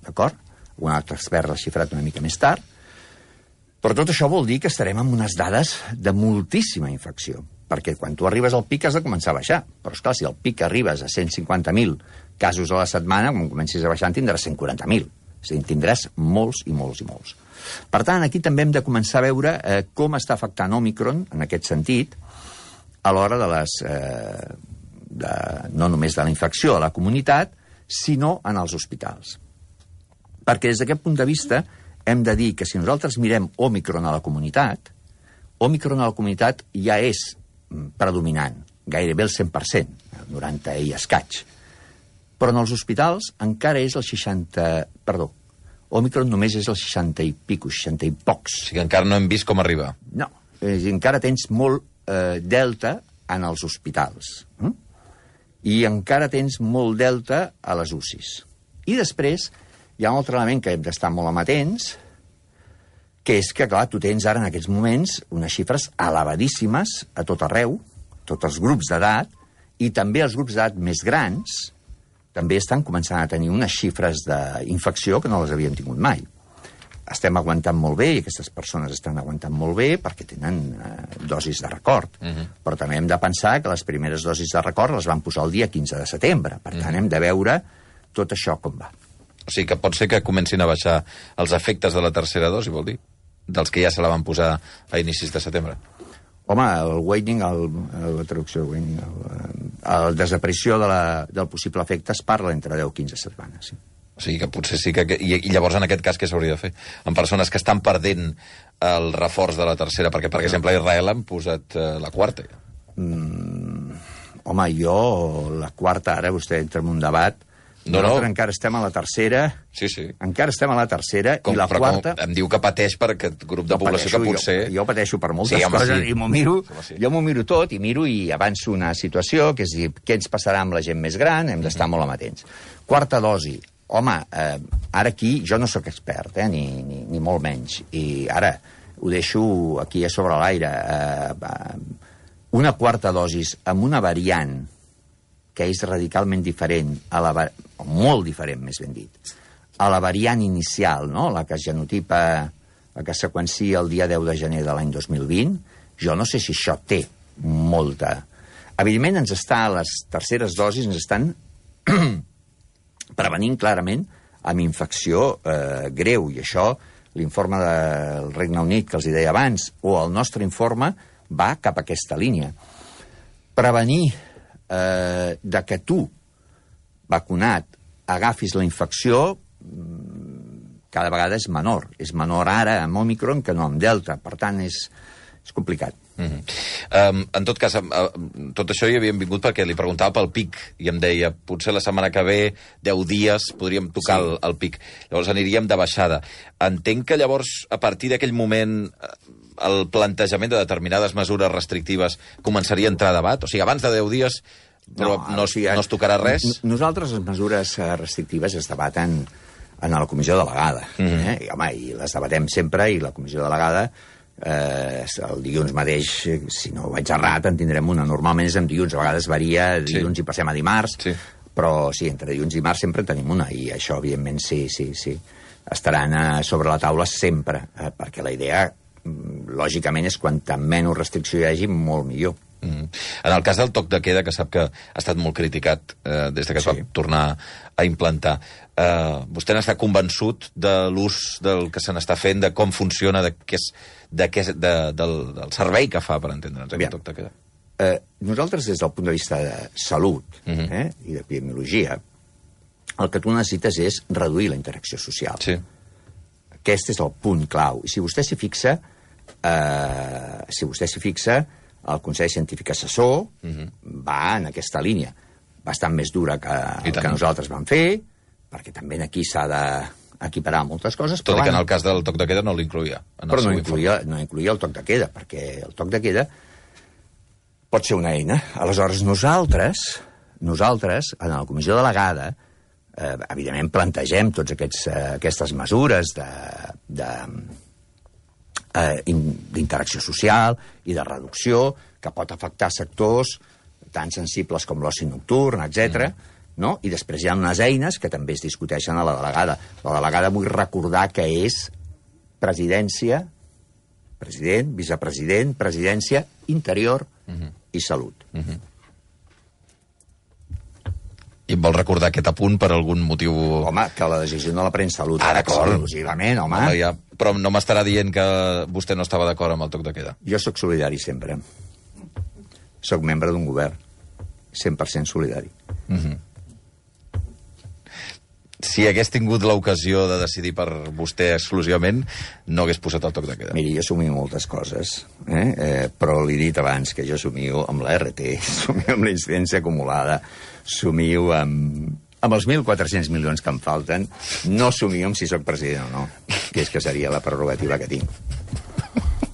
C: d'acord? Un altre expert l'ha xifrat una mica més tard, però tot això vol dir que estarem amb unes dades de moltíssima infecció, perquè quan tu arribes al pic has de començar a baixar, però esclar, si al pic arribes a 150.000 casos a la setmana, quan comencis a baixar en tindràs 140.000, és a dir, tindràs molts i molts i molts. Per tant, aquí també hem de començar a veure com està afectant Òmicron, en aquest sentit, a l'hora no només de la infecció a la comunitat, sinó en els hospitals. Perquè des d'aquest punt de vista hem de dir que si nosaltres mirem Òmicron a la comunitat, Òmicron a la comunitat ja és predominant, gairebé el 100%, el 90 i escaig. Però en els hospitals encara és el 60... Òmicron només és el 60 i pico, 60 i pocs.
B: O sigui que encara no hem vist com arriba.
C: No, encara tens molt delta en els hospitals. I encara tens molt delta a les UCIs. I després hi ha un altre element que hem d'estar molt amatents, que és que, clar, tu tens ara en aquests moments unes xifres elevadíssimes a tot arreu, tots els grups d'edat, i també els grups d'edat més grans, també estan començant a tenir unes xifres d'infecció que no les havíem tingut mai. estem aguantant molt bé, i aquestes persones estan aguantant molt bé perquè tenen dosis de record. Però també hem de pensar que les primeres dosis de record les van posar el dia 15 de setembre. Per tant, hem de veure tot això com va.
B: O sigui que pot ser que comencin a baixar els efectes de la tercera dosi, vol dir? Dels que ja se la van posar a inicis de setembre.
C: Home, el waning, la traducció de waning, la desaparició del possible efecte es parla entre 10 i 15 setmanes, sí.
B: O sigui que potser sí que... I llavors, en aquest cas, què s'hauria de fer? En persones que estan perdent el reforç de la tercera, perquè, per exemple, a Israel han posat la quarta.
C: Home, jo, la quarta, ara vostè entra en un debat. Nosaltres encara estem a la tercera.
B: Sí.
C: Encara estem a la tercera, i la quarta...
B: Em diu que pateix per aquest grup de població que potser...
C: Jo pateixo per moltes coses, i jo m'ho miro tot, i avanço una situació, que és dir, què ens passarà amb la gent més gran, hem d'estar molt amatents. Quarta dosi. Home, ara aquí jo no sóc expert, ni molt menys, i ara ho deixo aquí a sobre l'aire. Una quarta dosis amb una variant que és radicalment diferent, o molt diferent, més ben dit, a la variant inicial, no? La que es genotipa, la que seqüencia el dia 10 de gener de l'any 2020, jo no sé si això té molta... Evidentment, les terceres dosis ens estan prevenint clarament amb infecció greu, i això, l'informe del Regne Unit que els hi deia abans, o el nostre informe, va cap a aquesta línia. Prevenir de que tu, vacunat, agafis la infecció cada vegada és menor. És menor ara amb Omicron que no amb Delta. Per tant, és complicat.
B: En tot cas, tot això hi havíem vingut perquè li preguntava pel pic i em deia, potser la setmana que ve 10 dies podríem tocar el pic, llavors aniríem de baixada. Entenc que llavors a partir d'aquell moment el plantejament de determinades mesures restrictives començaria a entrar a debat, o sigui, abans de 10 dies no es tocarà res?
C: Nosaltres les mesures restrictives es debaten en la comissió delegada, i home, i les debatem sempre, i la comissió delegada el dilluns mateix, si no vaig errat, en tindrem una. Normalment és en dilluns, a vegades varia, dilluns i passem a dimarts, però sí, entre dilluns i dimarts sempre en tenim una, i això, evidentment, sí. Estaran sobre la taula sempre, perquè la idea, lògicament, és quanta menys restricció hi hagi, molt millor.
B: En el cas del toc de queda, que sap que ha estat molt criticat des que es va tornar a implantar, vostè n'està convençut de l'ús del que se n'està fent, de com funciona, del servei que fa, per entendre'ns, aquest toc de queda?
C: Nosaltres, des del punt de vista de salut i d'epidemiologia, el que tu necessites és reduir la interacció social.
B: Sí.
C: Aquest és el punt clau. I si vostè s'hi fixa, el Consell Científic Assessor va en aquesta línia, bastant més dura que nosaltres vam fer, perquè també aquí s'ha d'equiparar moltes coses.
B: Tot i que en el cas del toc de queda no l'incluïa.
C: Però no incluïa el toc de queda, perquè el toc de queda pot ser una eina. Aleshores, nosaltres, en la comissió delegada, evidentment plantegem totes aquestes mesures d'interacció social i de reducció que pot afectar sectors tan sensibles com l'oci nocturn, etc. No? I després hi ha unes eines que també es discuteixen a la delegada. La delegada, vull recordar que és presidència, president, vicepresident, presidència, interior i salut.
B: I em vol recordar aquest apunt per algun motiu...
C: Home, que la decisió no la pren salut. Exclusivament, home.
B: Però no m'estarà dient que vostè no estava d'acord amb el toc de queda.
C: Jo sóc solidari sempre. Sóc membre d'un govern. 100% solidari.
B: Si hagués tingut l'ocasió de decidir per vostè exclusivament, no hagués posat el toc de queda.
C: Miri, jo somio moltes coses, però li he dit abans que jo somio amb la RT, somio amb la incidència acumulada, somio amb els 1.400 milions que em falten, no somio amb si sóc president o no, que és que seria la prerrogativa que tinc,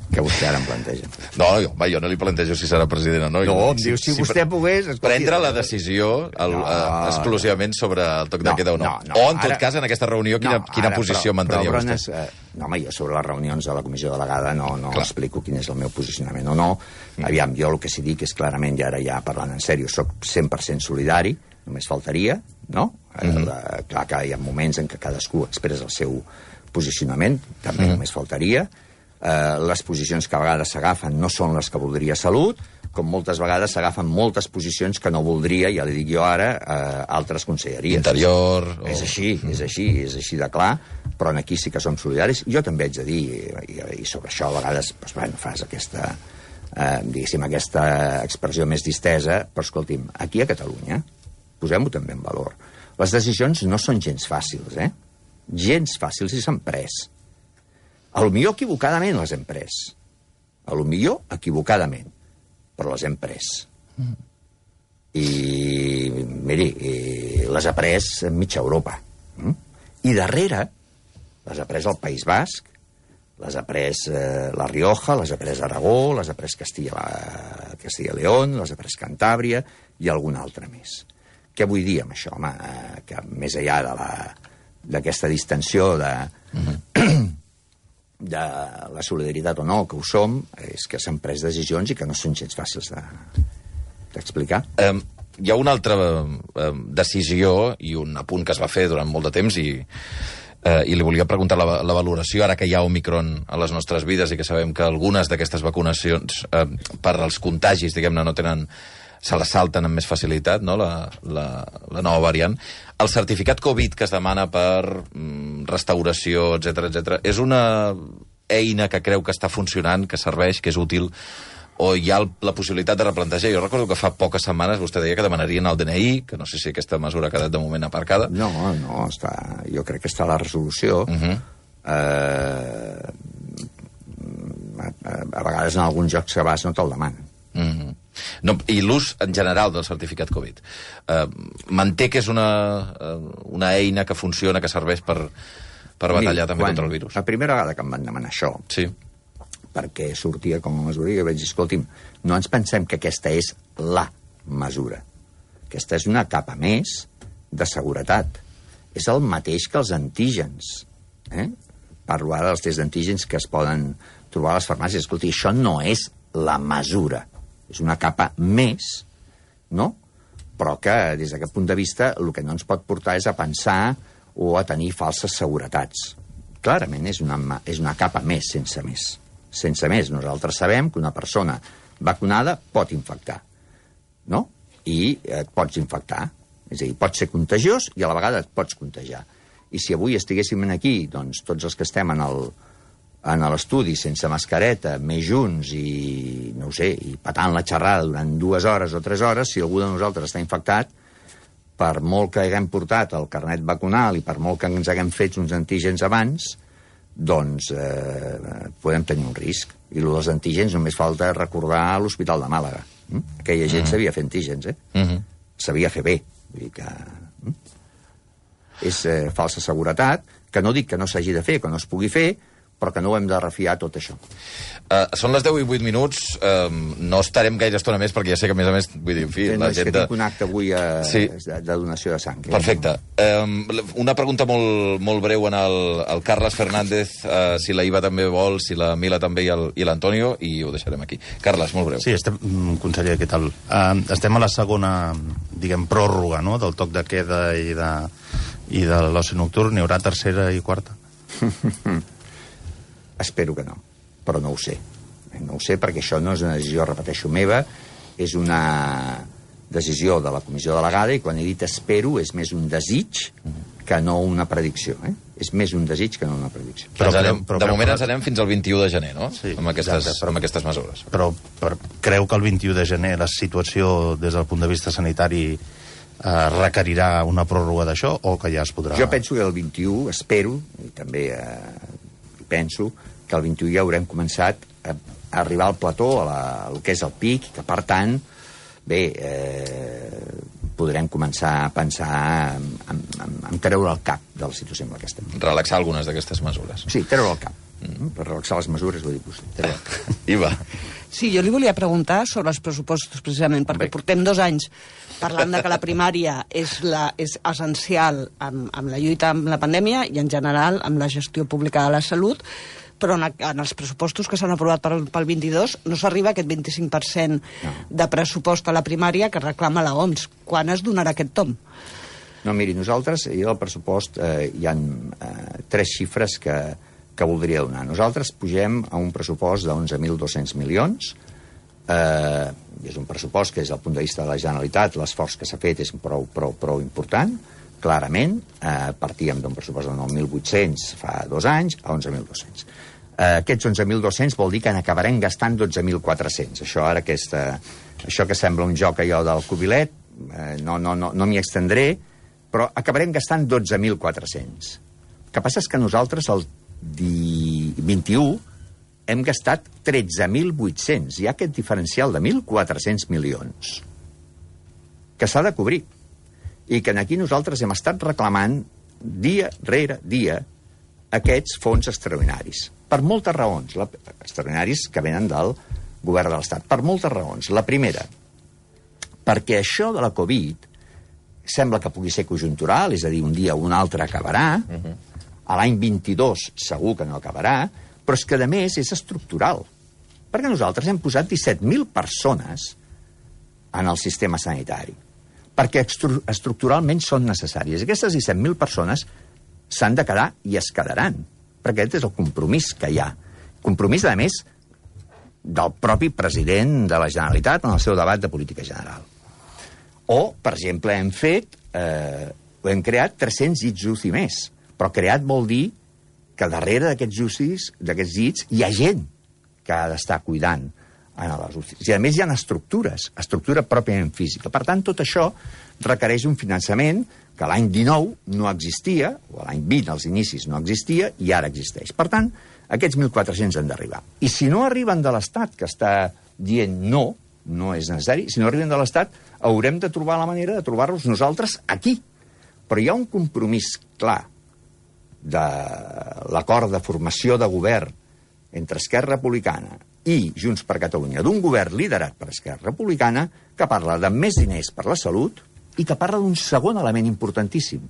C: que vostè ara em planteja.
B: Jo no li plantejo si serà president o no.
C: No, em diu, si vostè pogués...
B: Prendre la decisió exclusivament sobre el toc de queda o no. O, en tot cas, en aquesta reunió, quina posició mantenia vostè?
C: No, home, jo sobre les reunions de la comissió delegada no explico quin és el meu posicionament o no. Aviam, jo el que sí dic és clarament, i ara ja parlant en sèrio, soc 100% solidari, només faltaria, no? Clar que hi ha moments en què cadascú expressa el seu posicionament, també només faltaria. Les posicions que a vegades s'agafen no són les que voldria Salut, com moltes vegades s'agafen moltes posicions que no voldria, ja li dic jo ara, altres conselleries.
B: Interior...
C: És així de clar, però aquí sí que som solidaris. Jo també haig de dir, i sobre això a vegades fas aquesta, diguéssim, aquesta expressió més distesa, però escolti'm, aquí a Catalunya, posem-ho també en valor, les decisions no són gens fàcils, gens fàcils i s'han pres. Potser equivocadament les hem pres. Potser equivocadament, però les hem pres. I, miri, les ha pres mitja Europa. I darrere les ha pres el País Basc, les ha pres La Rioja, les ha pres Aragó, les ha pres Castilla i León, les ha pres Cantàbria i algun altre més. Què vull dir amb això, home? Que més enllà d'aquesta distensió de la solidaritat o no, que ho som, és que s'han pres decisions i que no són gens fàcils d'explicar.
B: Hi ha una altra decisió i un apunt que es va fer durant molt de temps i li volia preguntar la valoració, ara que hi ha Omicron a les nostres vides i que sabem que algunes d'aquestes vacunacions per als contagis, diguem-ne, no tenen... se la salten amb més facilitat, no?, la nova variant. El certificat Covid que es demana per restauració, etc., és una eina que creu que està funcionant, que serveix, que és útil, o hi ha la possibilitat de replantejar? Jo recordo que fa poques setmanes vostè deia que demanarien el DNI, que no sé si aquesta mesura ha quedat de moment aparcada.
C: No, jo crec que està a la resolució. A vegades en alguns jocs que vas no te'l demanen.
B: No, i l'ús en general del certificat Covid manté que és una eina que funciona, que serveix per batallar també contra el virus?
C: La primera vegada que em van demanar això, perquè sortia com a mesura, i vaig dir, escolti'm, no ens pensem que aquesta és la mesura. Aquesta és una capa més de seguretat. És el mateix que els antígens. Parlo ara dels tests d'antígens que es poden trobar a les farmàcies. Escolti, això no és la mesura. És una capa més, no? Però que, des d'aquest punt de vista, el que no ens pot portar és a pensar o a tenir falses seguretats. Clarament és una capa més, sense més. Sense més. Nosaltres sabem que una persona vacunada pot infectar, no? I et pots infectar. És a dir, pots ser contagiós i a la vegada et pots contagiar. I si avui estiguéssim aquí, doncs, tots els que estem en l'estudi sense mascareta, més junts i, no ho sé, i patant la xerrada durant 2 hores o 3 hores, si algú de nosaltres està infectat, per molt que haguem portat el carnet vacunal i per molt que ens haguem fet uns antígens abans, doncs podem tenir un risc. I el dels antígens només falta recordar l'Hospital de Màlaga. Aquella gent sabia fer antígens, sabia fer bé. Vull dir que és falsa seguretat, que no dic que no s'hagi de fer, que no es pugui fer, però que no ho hem de refiar tot això.
B: Són les 10 i 8 minuts, no estarem gaire estona més, perquè ja sé que, a més, vull dir, en fi...
C: És que tinc un acte avui de donació de sang.
B: Perfecte. Una pregunta molt breu en el Carles Fernández, si la Iva també vol, si la Mila també i l'Antonio, i ho deixarem aquí. Carles, molt breu.
D: Sí, conseller, què tal? Estem a la segona, diguem, pròrroga, no?, del toc de queda i de l'oci nocturn. N'hi haurà tercera i quarta?
C: Espero que no, però no ho sé. No ho sé perquè això no és una decisió, repeteixo, meva, és una decisió de la comissió delegada i quan he dit espero és més un desig que no una predicció. És més un desig que no una predicció.
B: De moment ens anem fins al 21 de gener, no?
D: Sí,
B: amb aquestes mesures.
D: Però creu que el 21 de gener la situació des del punt de vista sanitari requerirà una pròrroga d'això o que ja es podrà...
C: Jo penso que el 21, espero, i també penso que el 21 ja haurem començat a arribar al plató, al que és el pic, que per tant, bé, podrem començar a pensar en treure el cap de la situació en la que estem.
B: Relaxar algunes d'aquestes mesures.
C: Sí, treure el cap. Per relaxar les mesures, vull dir, treure el cap.
B: Iva.
E: Sí, jo li volia preguntar sobre els pressupostos, precisament, perquè portem 2 anys parlant de que la primària és essencial amb la lluita amb la pandèmia i, en general, amb la gestió pública de la salut, però en els pressupostos que s'han aprovat pel 22 no s'arriba a aquest 25% de pressupost a la primària que reclama la OMS. Quan es donarà aquest tomb?
C: No, miri, nosaltres, i el pressupost, hi ha 3 xifres que voldria donar. Nosaltres pugem a un pressupost de 11.200 milions. És un pressupost que, des del punt de vista de la Generalitat, l'esforç que s'ha fet és prou important, clarament. Partíem d'un pressupost de 9.800 fa 2 anys a 11.200. Aquests 11.200 vol dir que n'acabarem gastant 12.400. Això que sembla un joc allò del cubilet, no m'hi extendré, però acabarem gastant 12.400. El que passa és que nosaltres el 21 hem gastat 13.800. Hi ha aquest diferencial de 1.400 milions que s'ha de cobrir. I que aquí nosaltres hem estat reclamant dia rere dia aquests fons extraordinaris. Per moltes raons. Extraordinaris que venen del govern de l'Estat. Per moltes raons. La primera, perquè això de la Covid sembla que pugui ser conjuntural, és a dir, un dia o un altre acabarà, a l'any 22 segur que no acabarà, però és que, a més, és estructural. Perquè nosaltres hem posat 17.000 persones en el sistema sanitari, perquè estructuralment són necessàries. Aquestes 17.000 persones s'han de quedar i es quedaran, perquè aquest és el compromís que hi ha. Compromís, a més, del propi president de la Generalitat en el seu debat de política general. O, per exemple, hem creat 300 llits UCI més. Però creat vol dir que darrere d'aquests llits, hi ha gent que ha d'estar cuidant en les UCI. I, a més, hi ha estructura pròpiament física. Per tant, tot això requereix un finançament que l'any 19 no existia, o l'any 20, als inicis, no existia, i ara existeix. Per tant, aquests 1.400 han d'arribar. I si no arriben de l'Estat, que està dient no és necessari, si no arriben de l'Estat, haurem de trobar la manera de trobar-los nosaltres aquí. Però hi ha un compromís clar de l'acord de formació de govern entre Esquerra Republicana i Junts per Catalunya, d'un govern liderat per Esquerra Republicana, que parla de més diners per la salut i que parla d'un segon element importantíssim,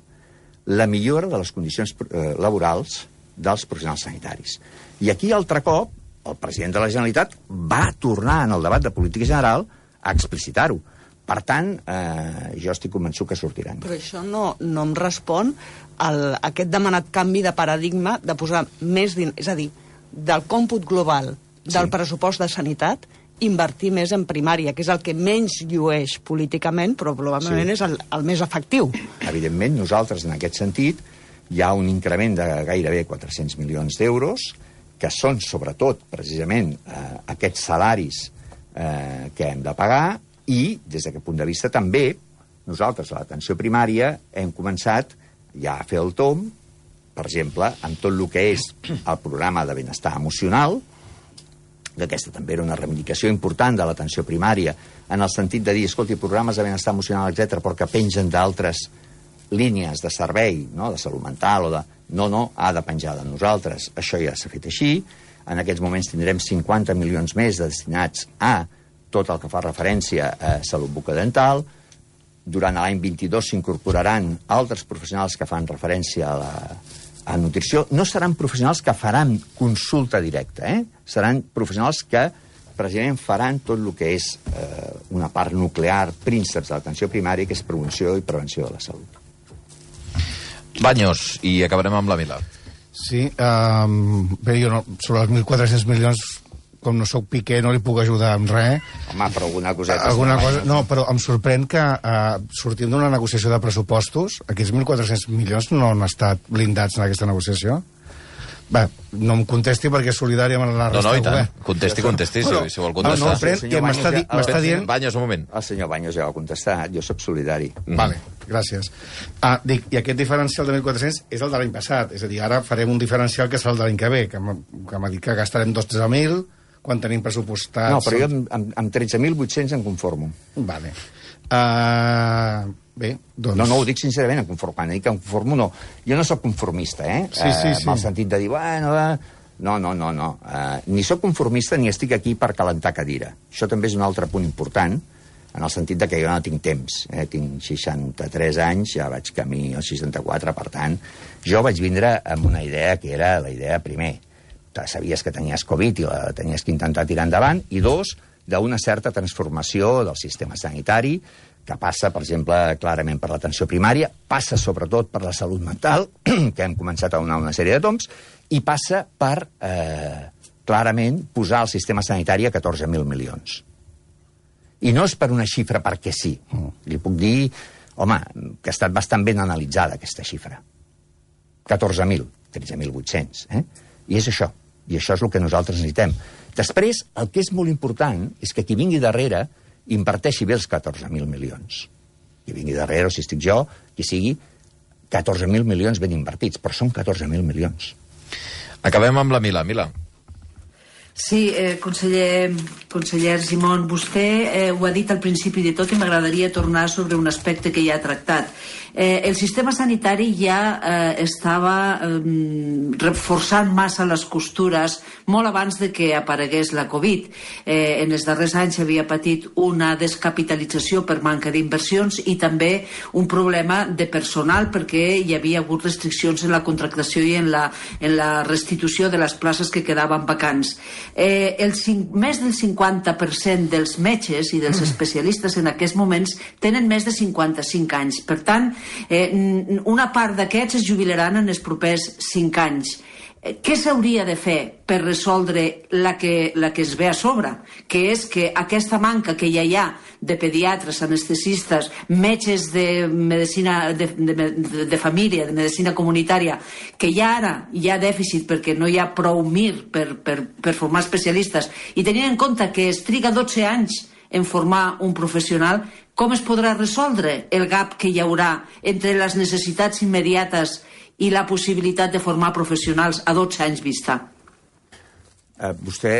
C: la millora de les condicions laborals dels professionals sanitaris. I aquí, altre cop, el president de la Generalitat va tornar en el debat de política general a explicitar-ho. Per tant, jo estic convençut que sortiran.
E: Però això no em respon a aquest demanat canvi de paradigma de posar més diners, és a dir, del còmput global del pressupost de sanitat, invertir més en primària, que és el que menys llueix políticament, però probablement és el més efectiu.
C: Evidentment, nosaltres, en aquest sentit, hi ha un increment de gairebé 400 milions d'euros, que són, sobretot, precisament, aquests salaris que hem de pagar, i, des d'aquest punt de vista, també, nosaltres, a l'atenció primària, hem començat ja a fer el tomb, per exemple, amb tot el que és el programa de benestar emocional, que aquesta també era una reivindicació important de l'atenció primària, en el sentit de dir, escolti, programes de benestar emocional, etc., però que pengen d'altres línies de servei, no?, de salut mental o de... No, ha de penjar de nosaltres. Això ja s'ha fet així. En aquests moments tindrem 50 milions més destinats a tot el que fa referència a salut bucodental. Durant l'any 22 s'incorporaran altres professionals que fan referència a nutrició. No seran professionals que faran consulta directa, Seran professionals que precisament faran tot el que és una part nuclear, prínceps de l'atenció primària, que és promoció i prevenció de la salut.
B: Baños, i acabarem amb la Milà.
F: Sí, bé, jo no, sobre els 1.400 milions, com no sóc Piqué, no li puc ajudar amb res.
C: Home, però alguna coseta...
F: No, però em sorprèn que sortim d'una negociació de pressupostos, aquests 1.400 milions no han estat blindats en aquesta negociació. Bé, no em contesti perquè és solidari amb la resta
B: del govern. Contesti, si vol contestar.
F: No, que m'està dient...
B: Baños, un moment.
C: El senyor Baños ja va contestar, jo sóc solidari.
F: Vale, gràcies. Dic, i aquest diferencial de 1.400 és el de l'any passat, és a dir, ara farem un diferencial que serà el de l'any que ve, que m'ha dit que gastarem 2-13.000, quan tenim pressupostats...
C: No, però jo amb 13.800 em conformo.
F: Vale. Bé, doncs...
C: No ho dic sincerament, quan dic que em conformo, no. Jo no sóc conformista,
F: Sí.
C: En el sentit de dir, bueno... No. Ni sóc conformista ni estic aquí per calentar cadira. Això també és un altre punt important, en el sentit de que jo no tinc temps. Tinc 63 anys, ja vaig camí als 64, per tant, jo vaig vindre amb una idea que era la idea, primer, sabies que tenies Covid i la tenies que intentar tirar endavant, i dos, d'una certa transformació del sistema sanitari, que passa, per exemple, clarament per l'atenció primària, passa sobretot per la salut mental, que hem començat a donar una sèrie de tombs, i passa per, clarament, posar el sistema sanitari a 14.000 milions. I no és per una xifra perquè sí. Li puc dir, home, que ha estat bastant ben analitzada, aquesta xifra. 14.000, 13.800, I és això. I això és el que nosaltres necessitem. Després, el que és molt important és que qui vingui darrere inverteixi bé els 14.000 milions. Qui vingui darrere, o si estic jo, qui sigui, 14.000 milions ben invertits, però són 14.000 milions.
B: Acabem amb la Mila. Mila.
G: Sí, conseller Argimon, vostè ho ha dit al principi de tot i m'agradaria tornar sobre un aspecte que ja ha tractat. El sistema sanitari ja estava reforçant massa les costures molt abans de que aparegués la Covid. En els darrers anys havia patit una descapitalització per manca d'inversions i també un problema de personal perquè hi havia hagut restriccions en la contractació i en la restitució de les places que quedaven vacants. Més del 50% dels metges i dels especialistes en aquests moments tenen més de 55 anys. Per tant, una part d'aquests es jubilaran en els propers 5 anys. Què s'hauria de fer per resoldre la que es ve a sobre? Que és que aquesta manca que ja hi ha de pediatres, anestesistes, metges de medicina de família, de medicina comunitària, que ja ara hi ha dèficit perquè no hi ha prou MIR per formar especialistes, i tenint en compte que es triga 12 anys en formar un professional, com es podrà resoldre el gap que hi haurà entre les necessitats immediates i la possibilitat de formar professionals a 12 anys vista?
C: Vostè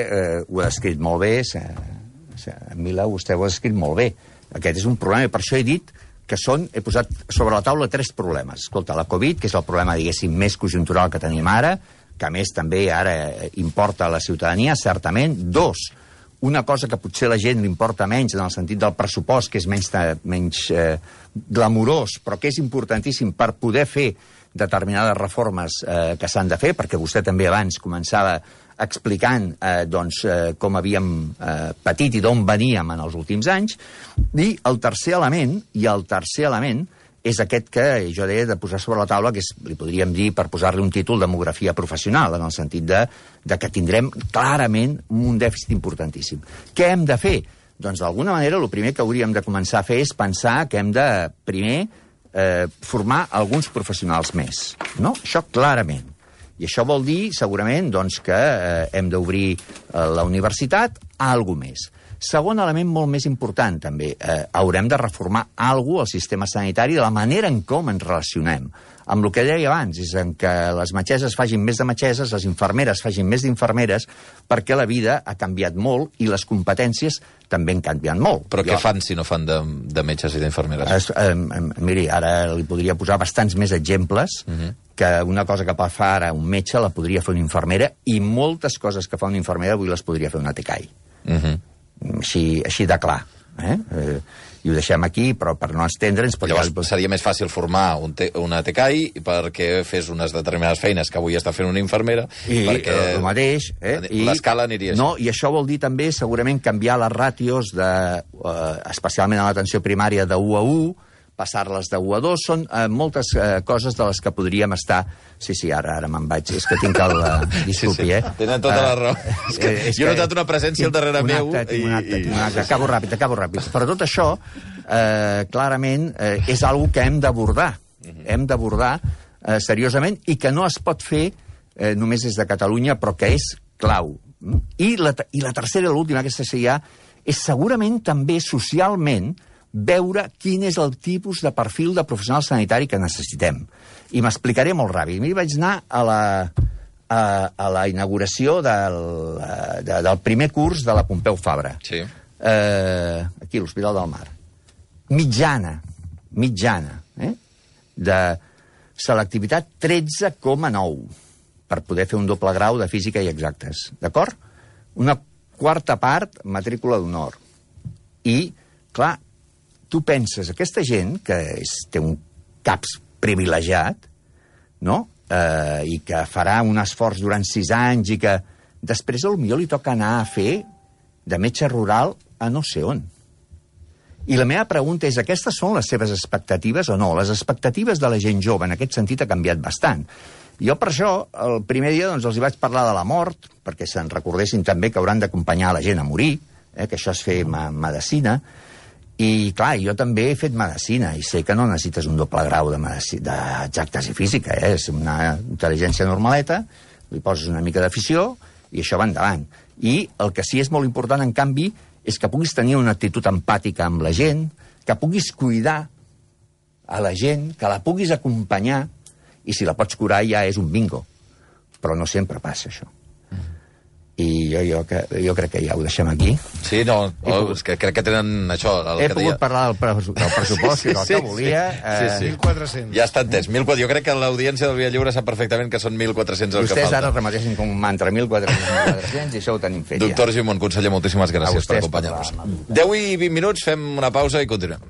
C: ho ha descrit molt bé, Mila, vostè ho ha descrit molt bé. Aquest és un problema, i per això he dit que he posat sobre la taula 3 problemes. Escolta, la Covid, que és el problema, diguéssim, més conjuntural que tenim ara, que a més també ara importa a la ciutadania, certament. 2, una cosa que potser a la gent li importa menys en el sentit del pressupost, que és menys glamurós, però que és importantíssim per poder fer determinades reformes que s'han de fer, perquè vostè també abans començava explicant com havíem patit i d'on veníem en els últims anys. I el tercer element és aquest que jo deia de posar sobre la taula, que li podríem dir, per posar-li un títol, demografia professional, en el sentit de que tindrem clarament un dèficit importantíssim. Què hem de fer? Doncs d'alguna manera el primer que hauríem de començar a fer és pensar que hem de primer formar alguns professionals més, no? Això clarament. I això vol dir, segurament, que hem d'obrir la universitat a alguna més. Segon element molt més important, també, haurem de reformar alguna cosa al sistema sanitari de la manera en com ens relacionem. Amb el que deia abans, és en què les metgesses facin més de metgesses, les infermeres facin més d'infermeres, perquè la vida ha canviat molt i les competències també han canviat molt.
B: Però què fan si no fan de metges i d'infermeres?
C: Miri, ara li podria posar bastants més exemples que una cosa que fa ara un metge la podria fer una infermera, i moltes coses que fa una infermera avui les podria fer una TCAI. Així de clar. I ho deixem aquí, però per no estendre'ns...
B: Llavors seria més fàcil formar una TCAI perquè fes unes determinades feines que avui està fent una infermera, perquè
C: el mateix,
B: l'escala aniria així.
C: No, i això vol dir també segurament canviar les ràtios, especialment a l'atenció primària, de 1 a 1, passar-les de 1 a 2, són moltes coses de les que podríem estar... Sí, ara me'n vaig, és que tinc el... Disculpi,
B: Tenen tota la raó. Jo he notat una presència al darrere meu.
C: Tinc un acte. Acabo ràpid. Però tot això, clarament, és una que hem d'abordar. Hem d'abordar seriosament, i que no es pot fer només des de Catalunya, però que és clau. I la tercera i l'última, aquesta seria, és segurament també socialment veure quin és el tipus de perfil de professional sanitari que necessitem. I m'explicaré molt ràpid. Mi vaig anar a la inauguració del primer curs de la Pompeu Fabra.
B: Sí.
C: Aquí, a l'Hospital del Mar. Mitjana, de selectivitat 13,9 per poder fer un doble grau de física i exactes. D'acord? Una quarta part, matrícula d'honor. I, clar, tu penses, aquesta gent que té un caps privilegiat, no? I que farà un esforç durant 6 anys i que després potser li toca anar a fer de metge rural a no sé on. I la meva pregunta és, aquestes són les seves expectatives o no? Les expectatives de la gent jove en aquest sentit ha canviat bastant. Jo per això, el primer dia doncs, els hi vaig parlar de la mort, perquè se'n recordessin també que hauran d'acompanyar la gent a morir, que això és fer medicina, i clar, jo també he fet medicina, i sé que no necessites un doble grau d'exactes i física, és una intel·ligència normaleta, li poses una mica d'afició, i això va endavant. I el que sí és molt important, en canvi, és que puguis tenir una actitud empàtica amb la gent, que puguis cuidar a la gent, que la puguis acompanyar, i si la pots curar ja és un bingo. Però no sempre passa això. I jo crec que ja ho deixem aquí.
B: Sí, és que crec que tenen això...
C: He pogut parlar del pressupost, del que volia.
B: Sí.
F: 1.400.
B: Ja està entès. 1.400. Jo crec que l'audiència del Via Lliure sap perfectament que són 1.400 el que falta.
C: Vostès ara remetessin com un mantra 1.400 i això ho tenim fet
B: Doctor Gimón, conseller, moltíssimes gràcies per acompanyar-nos. 10 i 20 minuts, fem una pausa i continuem.